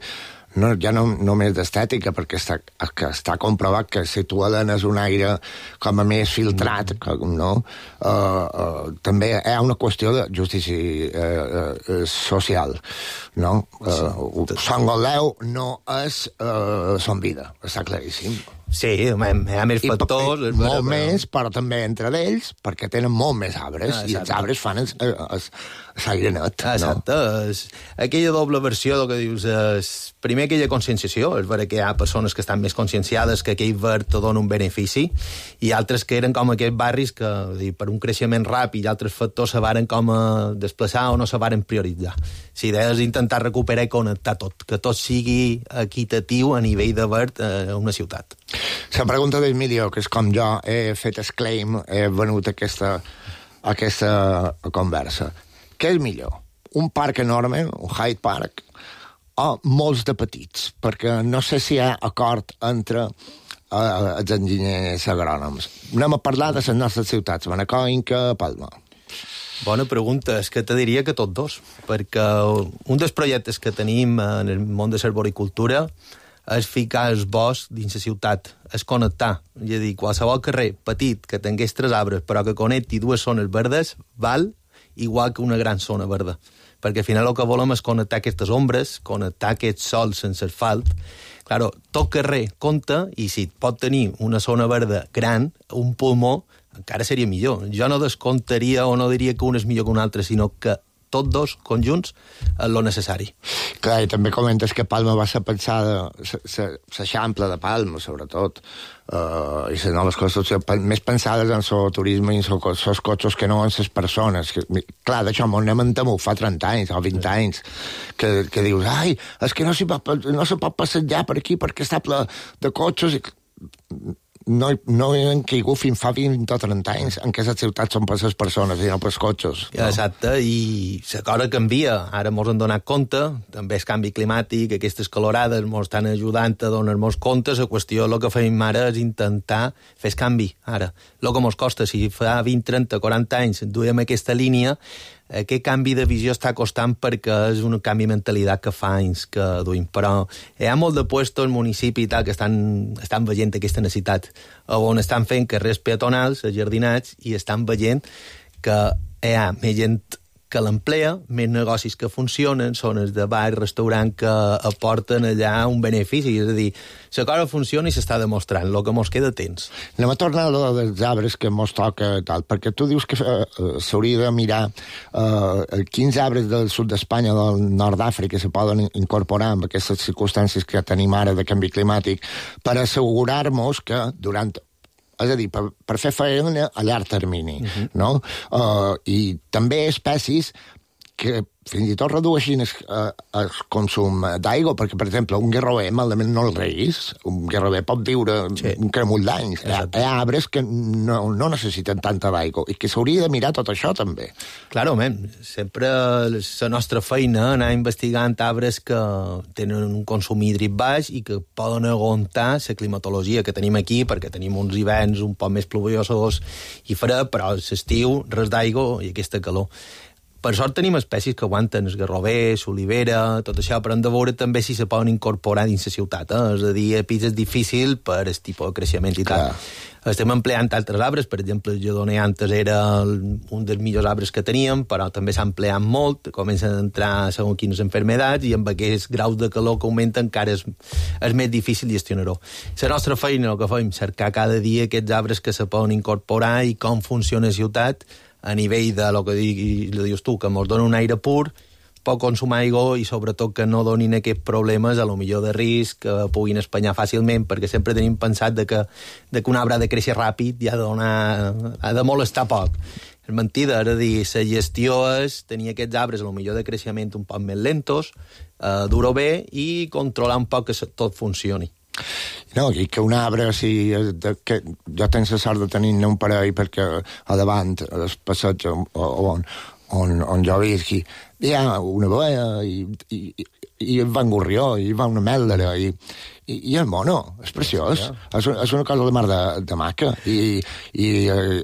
no, ja no només d'estètica, perquè està, que està comprovat que si tu alenes un aire com a més filtrat, no? Uh, uh, també hi ha una qüestió de justícia uh, uh, social, no? Uh, Son Goldeu no és uh, Son Vida, està claríssim. Sí, hi ha més factors... I, molt més, però també entre ells, perquè tenen molt més arbres, ah, i els arbres fan l'aire net. Exacte. No? Aquella doble versió del que dius és, primer, aquella conscienciació, és vera que hi ha persones que estan més conscienciades que aquell verd te dona un benefici, i altres que eren com aquests barris que, dir, per un creixement ràpid i altres factors se varen com a desplaçar o no se varen prioritzar. La idea és intentar recuperar i connectar tot, que tot sigui equitatiu a nivell de verd a una ciutat. La pregunta d'Emilio, que és com jo he fet el claim, he venut aquesta, aquesta conversa. Què és millor? Un parc enorme, un Hyde Park, o molts de petits? Perquè no sé si hi ha acord entre uh, els enginyers agrònoms. Anem a parlar de les nostres ciutats, Manacor, Inca, Palma. Bona pregunta. És que te diria que tots dos, perquè un dels projectes que tenim en el món de l'arboricultura és ficar el bosc dins la ciutat, és connectar. És a dir, qualsevol carrer petit que tingués tres arbres però que connecti dues zones verdes val igual que una gran zona verda. Perquè al final el que volem és connectar aquestes ombres, connectar aquest sol sense asfalt. Claro, tot carrer compta, i si pot tenir una zona verda gran, un pulmó, encara seria millor. Jo no descomptaria o no diria que un és millor que un altre, sinó que tots dos conjunts és lo necessari. Clar, i també comentes que Palma va ser pensada, l'Eixample de Palma, sobretot, uh, i les noves construccions més pensades en el turisme i en els cotxes que no en les persones. Que, clar, d'això m'ho anem en temut fa trenta anys o vint anys, que, que dius, ai, és que no s'hi pot, no se pot passejar per aquí perquè està ple de cotxes i... No, no han caigut fins fa vint o trenta anys en què les ciutats són per les persones i no per els cotxes. No? Exacte, i la cosa canvia. Ara mos han donat compte, també el canvi climàtic, aquestes calorades mos estan ajudant a donar-nos compte. La qüestió, el que fem ara és intentar fer el canvi, ara. El que mos costa, si fa vint, trenta, quaranta anys duem aquesta línia, aquest canvi de visió està costant perquè és un canvi de mentalitat que fa anys que duim. Però hi ha molt de puestos, municipis i tal, que estan, estan veient aquesta necessitat, on estan fent carrers peatonals, jardinats, i estan veient que hi ha més gent que l'emplea, més negocis que funcionen, zones de bar, restaurant que aporten allà un benefici. És a dir, la cosa funciona i s'està demostrant. El que mos queda temps. Anem a tornar a lo dels arbres que mos toca, tal, perquè tu dius que uh, s'hauria de mirar uh, quins arbres del sud d'Espanya, del nord d'Àfrica, se poden incorporar en aquestes circumstàncies que tenim ara de canvi climàtic per assegurar-nos que durant... És a dir, per, per fer feina a llarg termini, uh-huh. no? Uh, I també espècies que fins i tot redueixin el, el consum d'aigua, perquè, per exemple, un guerrover malament no el reis, un guerrover pot viure sí. un cremull d'anys. Hi ha, hi ha arbres que no, no necessiten tanta d'aigua i que s'hauria de mirar tot això, també. Claro, men, sempre la nostra feina anar investigant arbres que tenen un consum hídric baix i que poden aguantar la climatologia que tenim aquí, perquè tenim uns hiverns un poc més pluviosos i fred, però l'estiu res d'aigua i aquesta calor. Per sort tenim espècies que aguanten el garrover, l'olivera, tot això, però hem de veure també si se poden incorporar dins la ciutat. Eh? És a dir, a pis és difícil per el tipus de creixement i tal. Estem empleant altres arbres, per exemple, el lledoner antes era un dels millors arbres que teníem, però també s'ha empleat molt, comencen a entrar segons quines enfermedats, i amb aquests graus de calor que augmenten encara és, és més difícil gestionar-ho. La nostra feina, el que fem, cercar cada dia aquests arbres que se poden incorporar i com funciona la ciutat, a nivell de lo que dius tu, que ens dona un aire pur, poc consum aigua i sobretot que no donin aquests problemes a lo millor de risc, que puguin espanyar fàcilment, perquè sempre tenim pensat de que, de que un arbre ha de créixer ràpid i ha de, donar, ha de molestar poc. és mentida, és a dir, la gestió és tenir aquests arbres, potser de creixement un poc més lentos, eh, dur-ho bé i controlar un poc que tot funcioni. No, i que un arbre, o sigui, de, que jo tinc la sort de tenir-ne un parell perquè a davant, al passeig on, on, on, on jo visqui, hi ha una boia i, i, i va un gorrió, i va una mèldera, i, i, i el mono, és preciós. Sí, és, és una cosa de mar de, de maca. I, i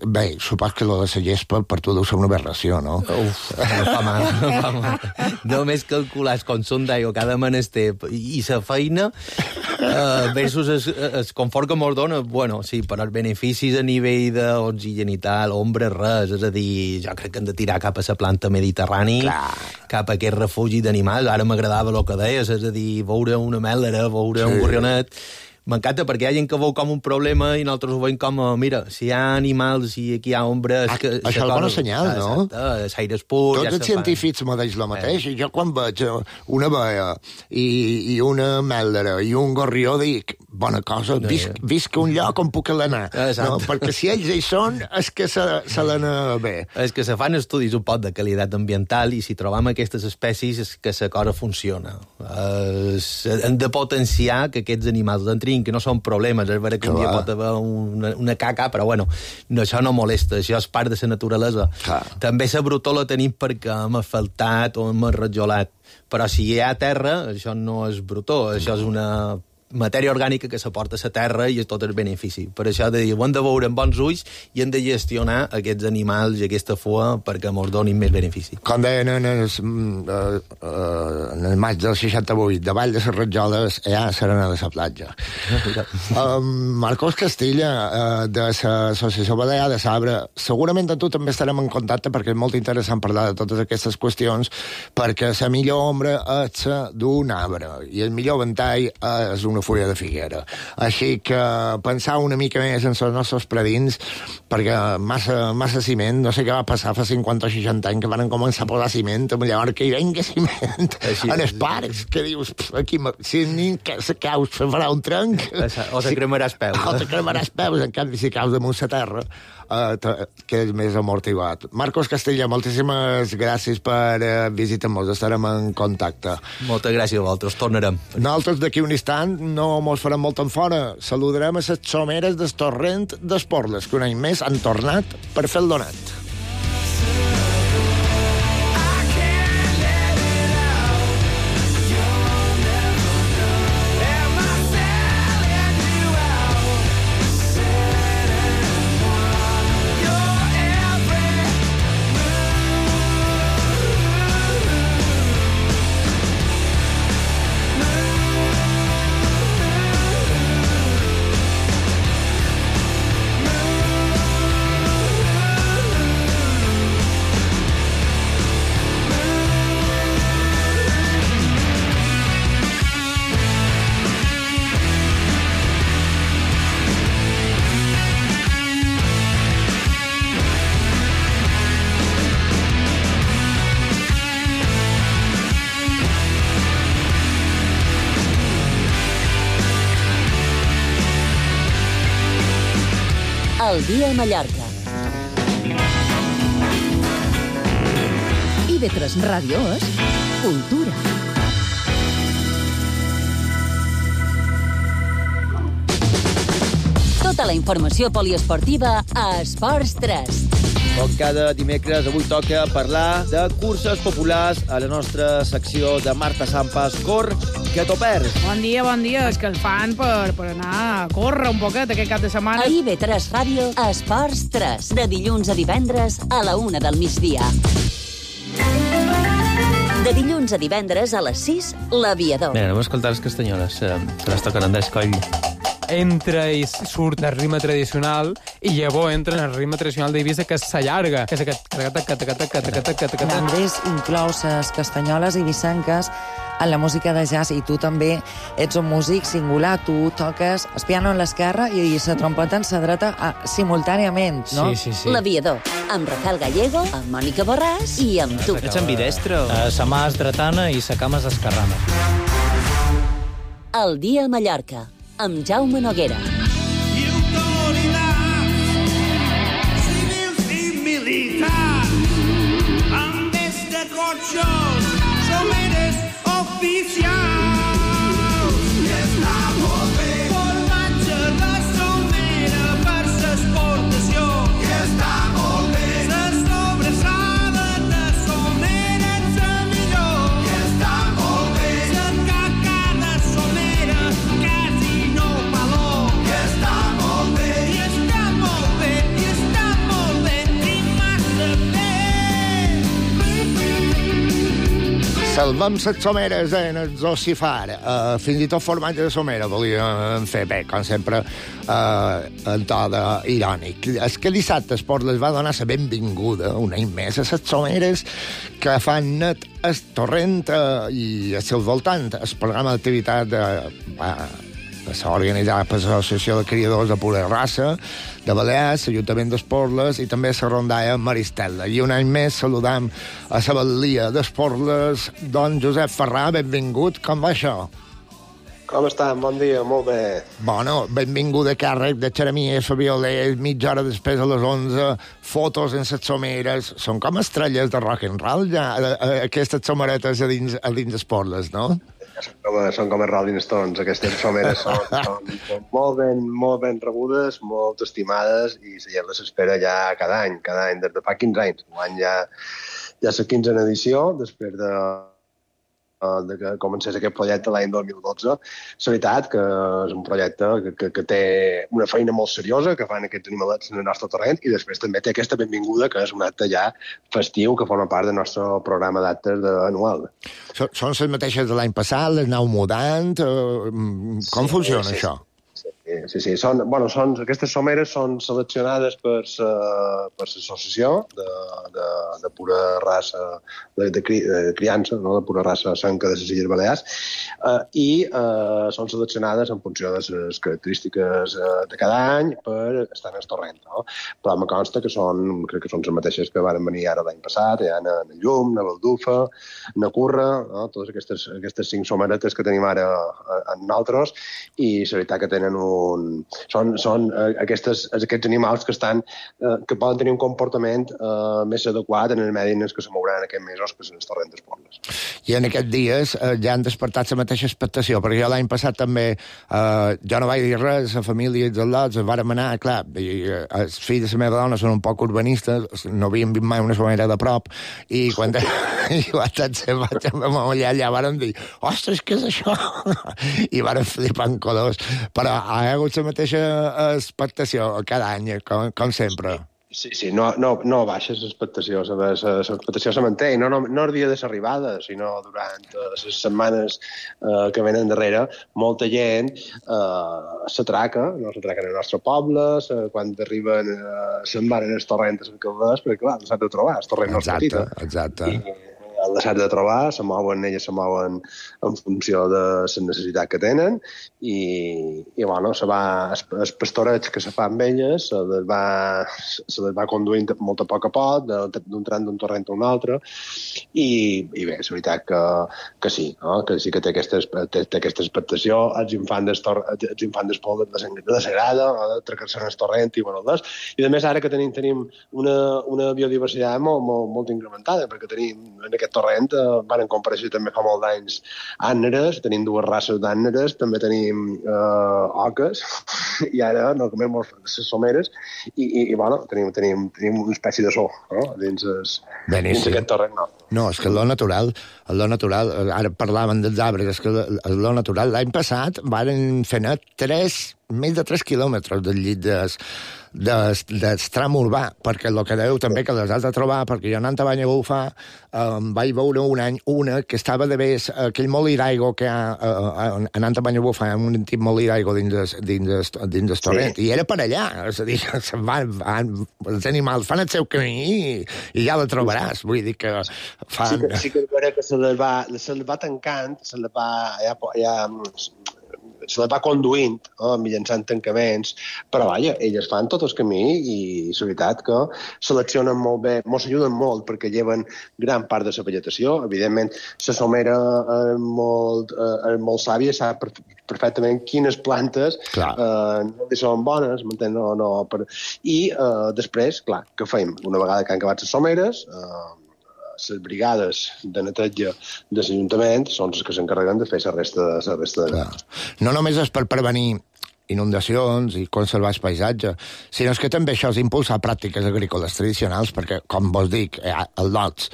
bé, supos que lo de la gespa per tu deu ser una aberració, no? Uf, no fa mal, no fa mal. Només calcular el consum d'aigua cada menester i la feina uh, versus el, el confort que mos dona, bueno, sí, però els beneficis a nivell d'oxigenital, ombra, res, és a dir, jo crec que hem de tirar cap a la planta mediterrani, clar, cap a aquest refugi d'animals. Ara m'agradava el que deies, és a dir, veure una mèlera, veure sí, un gorrionet. M'encanta perquè hi ha gent que veu com un problema i nosaltres ho veiem com, mira, si hi ha animals i aquí hi ha ombra... Ah, que, això és el bon senyal, no? Exacte, l'aire és pur... Tots ja els científics m'ho deix el mateix. Eh. Jo quan veig una baia i, i una mèldera i un gorrió dic, bona cosa, visc, visc un lloc on puc anar. No? Perquè si ells hi són, és que se, se l'anar bé. És que se fan estudis un poc de qualitat ambiental i si trobam aquestes espècies és que la cosa funciona. Eh, hem de potenciar que aquests animals entrin, que no són problemes, és vera que un dia pot haver una, una caca, però bueno, no, això no molesta, això és part de la naturalesa. Clar. També la brutó la tenim perquè hem asfaltat o hem arrajolat, però si hi ha terra, això no és brutó, això és una matèria orgànica que s'aporta a la terra i és tot el benefici. Per això de dir, ho hem de veure amb bons ulls i hem de gestionar aquests animals i aquesta fua perquè ens donin més benefici. Com deien en el, uh, uh, en el maig del seixanta-vuit, davall de les Rajoles hi ha serena de la platja. uh, Marcos Castilla, uh, de l'Associació Balear de Sabre, segurament amb tu també estarem en contacte perquè és molt interessant parlar de totes aquestes qüestions, perquè la millor ombra és la d'un arbre i el millor ventall és una fulla de figuera. Així que pensar una mica més en els nostres predins, perquè massa, massa ciment, no sé què va passar fa cinquanta o seixanta anys que van començar a posar ciment, amb llavors que hi venga ciment així, en els parcs, que dius, aquí, si ni se caus, se farà un trenc. O te cremaràs peus. O te cremaràs peus, en canvi, si caus damunt la terra, uh, que és més amortiguat. Marcos Castilla, moltíssimes gràcies per uh, visitar-nos, estarem en contacte. Moltes gràcies a vosaltres, tornarem. Nosaltres d'aquí un instant no mos farem molt en fora. Saludarem a les someres del torrent d'Esporles, que un any més han tornat per fer el donat. El dia a Mallorca. I ve tres Ràdio és cultura. Tota la informació poliesportiva a Esports tres. Com cada dimecres, avui toca parlar de curses populars a la nostra secció de Marta Sampas. Cor, que t'ho perds. Bon dia, bon dia. És que el fan per, per anar a córrer un poquet aquest cap de setmana. A I ve tres Ràdio, Esports tres. De dilluns a divendres a la una del migdia. De dilluns a divendres a les sis, l'Aviador. Bé, anem a escoltar les castanyoles. Se les toquen en d'escoll. Entra i surt del ritme tradicional i llavors entra en el ritme tradicional d'Eivissa, que s'allarga, que és aquest... Andrés inclou les castanyoles eivissenques en la música de jazz i tu també ets un músic singular, tu toques el piano en l'esquerra i la trompeta en la dreta simultàniament, no? Sí, sí, sí. L'Aviador, amb Rafael Gallego, amb Mònica Borràs i amb tu. Ets ambidestre? O... Sa mà és dretana i sa cama és esquerrana. El dia a Mallorca, amb Jaume Noguera. Civils i militars shows, someres oficials. I està molt bé. Formatge de somera per l'exportació. I està molt bé. La sobrassada de somera és la millor. I està molt bé. La caca de somera quasi no valor. I està molt bé. I està molt bé. I està molt bé. I massa bé. Salvem les someres en el Zossifar. Uh, fins i tot formatge de somera volíem fer bé, com sempre, uh, en to de irònic. És que dissabte Esport les va donar la benvinguda un any més a les someres que fan net el Torrent uh, i el seu voltant. El programa d'activitat de... Uh, s'ha organitzat per l'Associació de Criadors de Pura Raça de Balears, l'Ajuntament d'Esporles i també la rondalla Maristella. I un any més saludam a la batllia d'Esporles, don Josep Ferrà, benvingut. Com va això? Com estan? Bon dia, molt bé. Bueno, benvingut a càrrec de Xeremies, Fabioler, mitja hora després a les onze, fotos en les someres. Són com estrelles de rock and roll, ja, aquestes someretes a dins, a dins Esporles, no? Són com, són com els Rolling Stones, aquestes someres són, són, són molt, ben, molt ben rebudes, molt estimades i la gent les espera ja cada any, cada any, des de fa quinze anys. L'any ja, ja la quinzena edició, després de, de que comencés aquest projecte l'any dos mil dotze. La veritat que és un projecte que, que, que té una feina molt seriosa, que fan aquests animalets en el nostre terreny, i després també té aquesta benvinguda, que és un acte ja festiu, que forma part del nostre programa d'actes anual. Són, són les mateixes de l'any passat, les aneu mudant? Com sí, funciona sí, això? Sí, sí, sí. Són, bueno, són, aquestes someres són seleccionades per l'associació de, de, de pura raça, de, de, cri, de criança, no? De pura raça sanca de les Illes Balears, eh, i eh, són seleccionades en funció de les característiques eh, de cada any per estar en el torrent. No? Però em consta que són, crec que són les mateixes que van venir ara l'any passat, hi ha a Llum, a Baldufa, a Curra, no? Totes aquestes, aquestes cinc someretes que tenim ara en nosaltres, i la veritat que tenen un Un, són són eh, aquestes, aquests animals que estan eh, que poden tenir un comportament eh, més adequat en el medi en què se mouran aquests mesos, que són els torrents d'Esporles. I en aquests dies eh, ja han despertat la mateixa expectació, perquè jo l'any passat també eh, jo no vaig dir res, la família i els al·lots vàrem anar, clar, i, eh, els fills de la meva dona són un poc urbanistes, no havien vist mai una somera de prop, i quan i quan se vaig a allà, allà vàrem dir, ostres, què és això? I vàrem flipar en colors, però ha hagut la mateixa expectació cada any, com, com sempre. Sí, sí, no, no, no baixa l'expectació, l'expectació se manté, no, no, no el dia de l'arribada, sinó durant les setmanes eh, que venen darrere, molta gent eh, s'atraca, no s'atraca en el nostre poble, quan arriben eh, se'n van en els torrents en Calders, perquè clar, s'ha de trobar, el torrent no és petit. Exacte, I, el deixat de trobar, se mouen, elles se mouen en funció de la necessitat que tenen i, i bueno, se va, el pastoreig que se fa amb elles se les va, se les va conduint molt a poc a poc, d'un tram d'un torrent a un altre, i, i bé, és veritat que, que sí, no? Que sí que té aquesta, té, té aquesta expectació, els infants d'espol de la Sagrada, de trecar-se en el torrent i bueno, les, i a més ara que tenim, tenim una, una biodiversitat molt, molt, molt incrementada, perquè tenim en aquest torrent eh, van compareixer també fa molt d'anys àneres, tenim dues races d'àneres, també tenim eh, oques, i ara no comem molt les someres, i, i, i bueno, tenim, tenim, tenim una espècie de so, no? dins, es, dins aquest torrent. No. No, és que lo natural, lo natural, ara parlaven dels arbres, és que lo natural, l'any passat van fer net tres, més de tres quilòmetres del llit des, des, del tram urbà, perquè el que deu també que les has de trobar, perquè jo anant a Banyabufar eh, vaig veure un any una que estava de vés, aquell molí d'aigua que hi ha eh, anant a Banyabufar, un antic molí d'aigua dins del dins, dins del torrent, sí. I era per allà, és a dir, se'n van, van, els animals fan el seu camí i, i ja la trobaràs, vull dir que fan... Sí que, sí que, que se les va, se les va tancant, se les va... Ja, ja, se les va conduint, eh, mitjançant tancaments, però vaja, elles fan tot el camí i és veritat que seleccionen molt bé, mos ajuden molt perquè lleven gran part de la vegetació. Evidentment, la somera és molt, eh, és molt sàvia, sap perfectament quines plantes eh, no li són bones, m'entén? No, no, per... I eh, després, clar, què fem? Una vegada que han acabat les someres, eh, les brigades de neteja de l'Ajuntament són les que s'encarreguen de fer la resta, la resta de... No només és per prevenir inundacions i conservar el paisatge, sinó que també això és impulsar pràctiques agrícoles tradicionals, perquè, com vos dic, hi ha els lots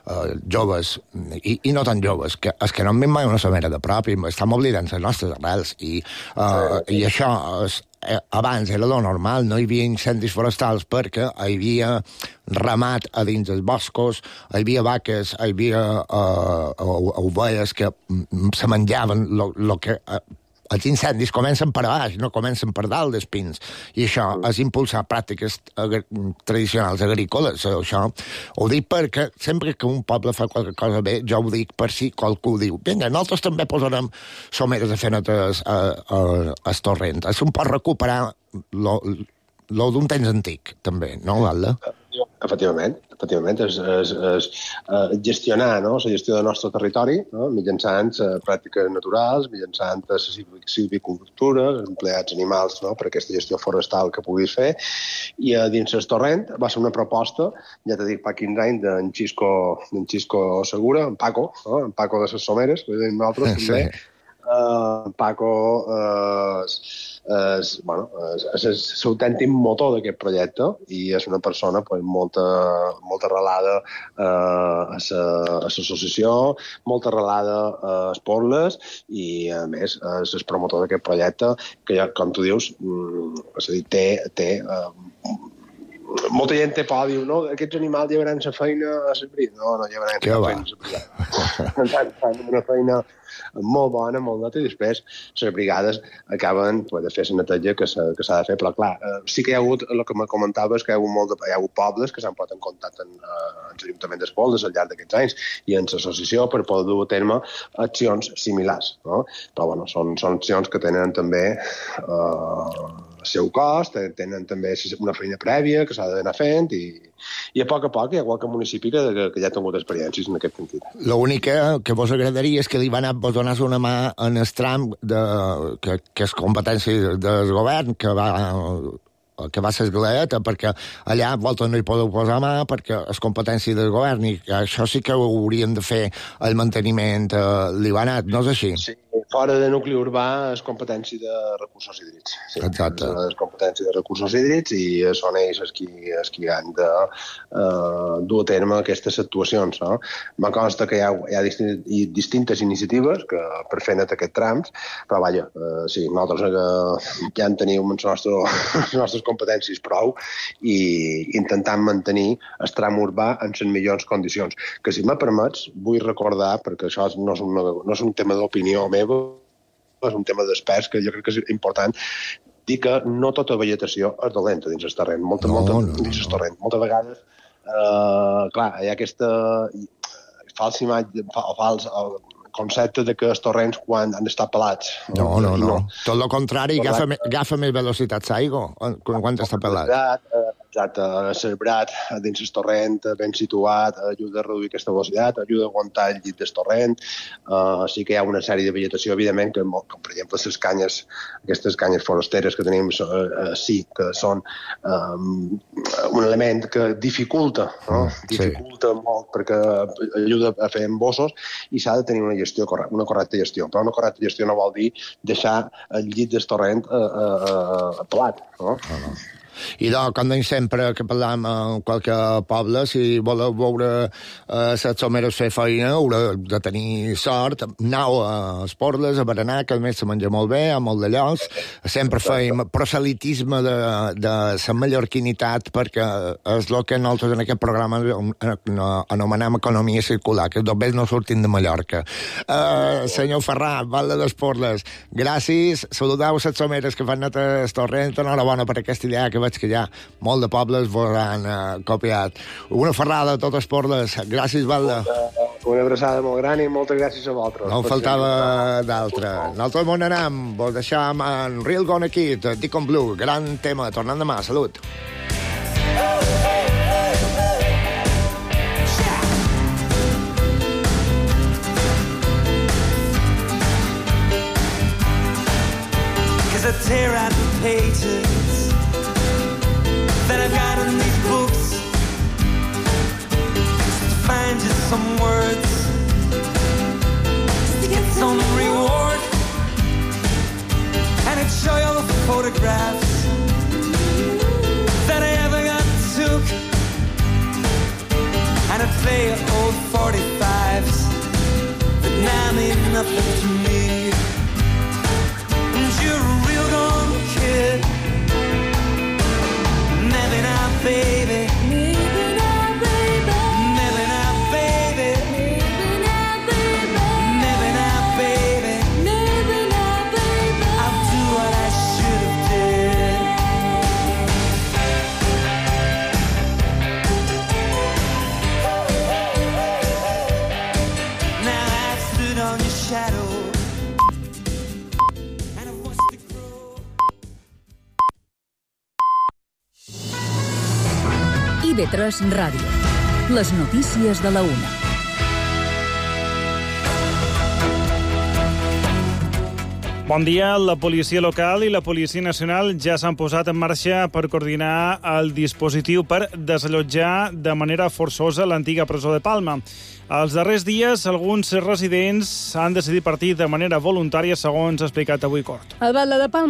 eh, joves, i, i no tan joves, que els que no han vist mai una somera de prop i estem oblidant les nostres arrels, i, eh, i això és, eh, abans era lo normal, no hi havia incendis forestals perquè hi havia ramat a dins dels boscos, hi havia vaques, hi havia eh, ovelles que se menjaven el que... Eh, els incendis comencen per baix, no comencen per dalt dels pins. I això és impulsar pràctiques agr tradicionals agrícoles. Això ho dic perquè sempre que un poble fa qualque cosa bé, jo ho dic per si qualcú diu vinga, nosaltres també posarem someres de fer netes al torrent. És un pot recuperar lo, lo d'un temps antic, també, no, Valda? Efectivament, efectivament, és, és, és uh, gestionar, no?, la gestió del nostre territori, no?, mitjançant uh, pràctiques naturals, mitjançant la silvicultura, empleats animals, no?, per aquesta gestió forestal que puguis fer, i uh, dins el torrent va ser una proposta, ja t'he dit, fa quinze anys, d'en Xisco, d'en Xisco Segura, en Paco, no?, en Paco de les Someres, que dèiem nosaltres, sí. També, uh, Paco uh, és, bueno, és, és l'autèntic motor d'aquest projecte i és una persona pues, molt, molt arrelada uh, a l'associació, molt arrelada a Esporles i, a més, és el promotor d'aquest projecte que, com tu dius, és a dir, té... té uh, molta gent té por, diu, no, aquests animals llevaran la feina a l'abrit. No, no llevaran la feina a l'abrit. Fan una feina molt bona, molt nota, i després les brigades acaben pues, de fer la neteja que s'ha de fer. Però, clar, sí que hi ha hagut, el que me comentaves, que hi ha hagut, molt de, hi ha hagut pobles que s'han posat en contacte amb l'Ajuntament d'Espoldes al llarg d'aquests anys i en l'associació per poder dur a terme accions similars. No? Però, bueno, són, són accions que tenen també eh, el seu cost, tenen també una feina prèvia que s'ha d'anar fent i, i a poc a poc hi ha qualque municipi que, que, que ja ha tingut experiències en aquest sentit. L'únic que, que vos agradaria és que li va anar vos donar una mà en el tram de, que, que és competència del govern, que va que va ser esglaeta, perquè allà vosaltres no hi podeu posar mà perquè és competència del govern i això sí que ho haurien de fer el manteniment eh, libanat, no és així? Sí, fora de nucli urbà és competència de recursos hídrics. Sí, exacte. És competència de recursos hídrics i són ells els qui, els qui han de uh, dur a terme aquestes actuacions. No? Me consta que hi ha, hi ha distintes, distintes iniciatives que, per fer net aquests trams, però vaja, uh, sí, nosaltres uh, ja en tenim els nostres, les nostres competències prou i intentant mantenir el tram urbà en les millors condicions. Que si me permets, vull recordar, perquè això no és, una, no és un tema d'opinió meva, és un tema d'experts que jo crec que és important dir que no tota vegetació és dolenta dins el terreny. Molta, no, molta, no, dins el terreny. Moltes vegades, eh, clar, hi ha aquesta falsa imatge, fals concepte de que els torrents quan han d'estar pelats. No, no, no. no. Tot el contrari, agafa, agafa més velocitat l'aigua quan està pelat. Exacte, el cerebrat dins el torrent ben situat ajuda a reduir aquesta velocitat, ajuda a aguantar el llit del torrent. Uh, sí que hi ha una sèrie de vegetació, evidentment, que, com per exemple les canyes, aquestes canyes forasteres que tenim, uh, sí que són um, un element que dificulta, no? Sí. Dificulta molt perquè ajuda a fer embossos i s'ha de tenir una gestió correcta, una correcta gestió. Però una correcta gestió no vol dir deixar el llit del torrent uh, uh, pelat, no? No, no. I doncs, com deim sempre que parlam en qualque poble, si voleu veure eh, les someres fer feina, haureu de tenir sort. Anau a Esporles, a Berenar, que a més se menja molt bé, a molt de llocs. Sempre feim proselitisme de, de la mallorquinitat, perquè és el que nosaltres en aquest programa anomenem economia circular, que només no sortim de Mallorca. Eh, senyor Ferrà, Valde d'Esporles, gràcies. Saludeu les someres que fan net el torrent. Enhorabona per aquesta idea que veig que ja molt de pobles vos han uh, copiat. Una ferrada a tot Esporles. Gràcies, Valde. Una, una abraçada molt gran i moltes gràcies a vosaltres. No en faltava d'altra. Nosaltres on anem? Vos deixam en Real Gonna Kid, Deacon Blue. Gran tema. Tornant demà. Salut. Cause I tear out the pages that I've got in these books to find just some words just to get some reward, and I'd show you all the photographs that I ever got took, and I'd play old forty-fives that now mean nothing to me. And you're a real gone kid. Maybe not, baby. Maybe not, baby. Maybe not, baby. Maybe not, baby. Maybe not, baby. Maybe not, baby. I'll do what I should have did. Now I stood on your shadow. I V tres Ràdio. Les notícies de la una. Bon dia. La policia local i la policia nacional ja s'han posat en marxa per coordinar el dispositiu per desallotjar de manera forçosa l'antiga presó de Palma. Els darrers dies, alguns residents han decidit partir de manera voluntària, segons ha explicat avui Cort. El batlle de Palma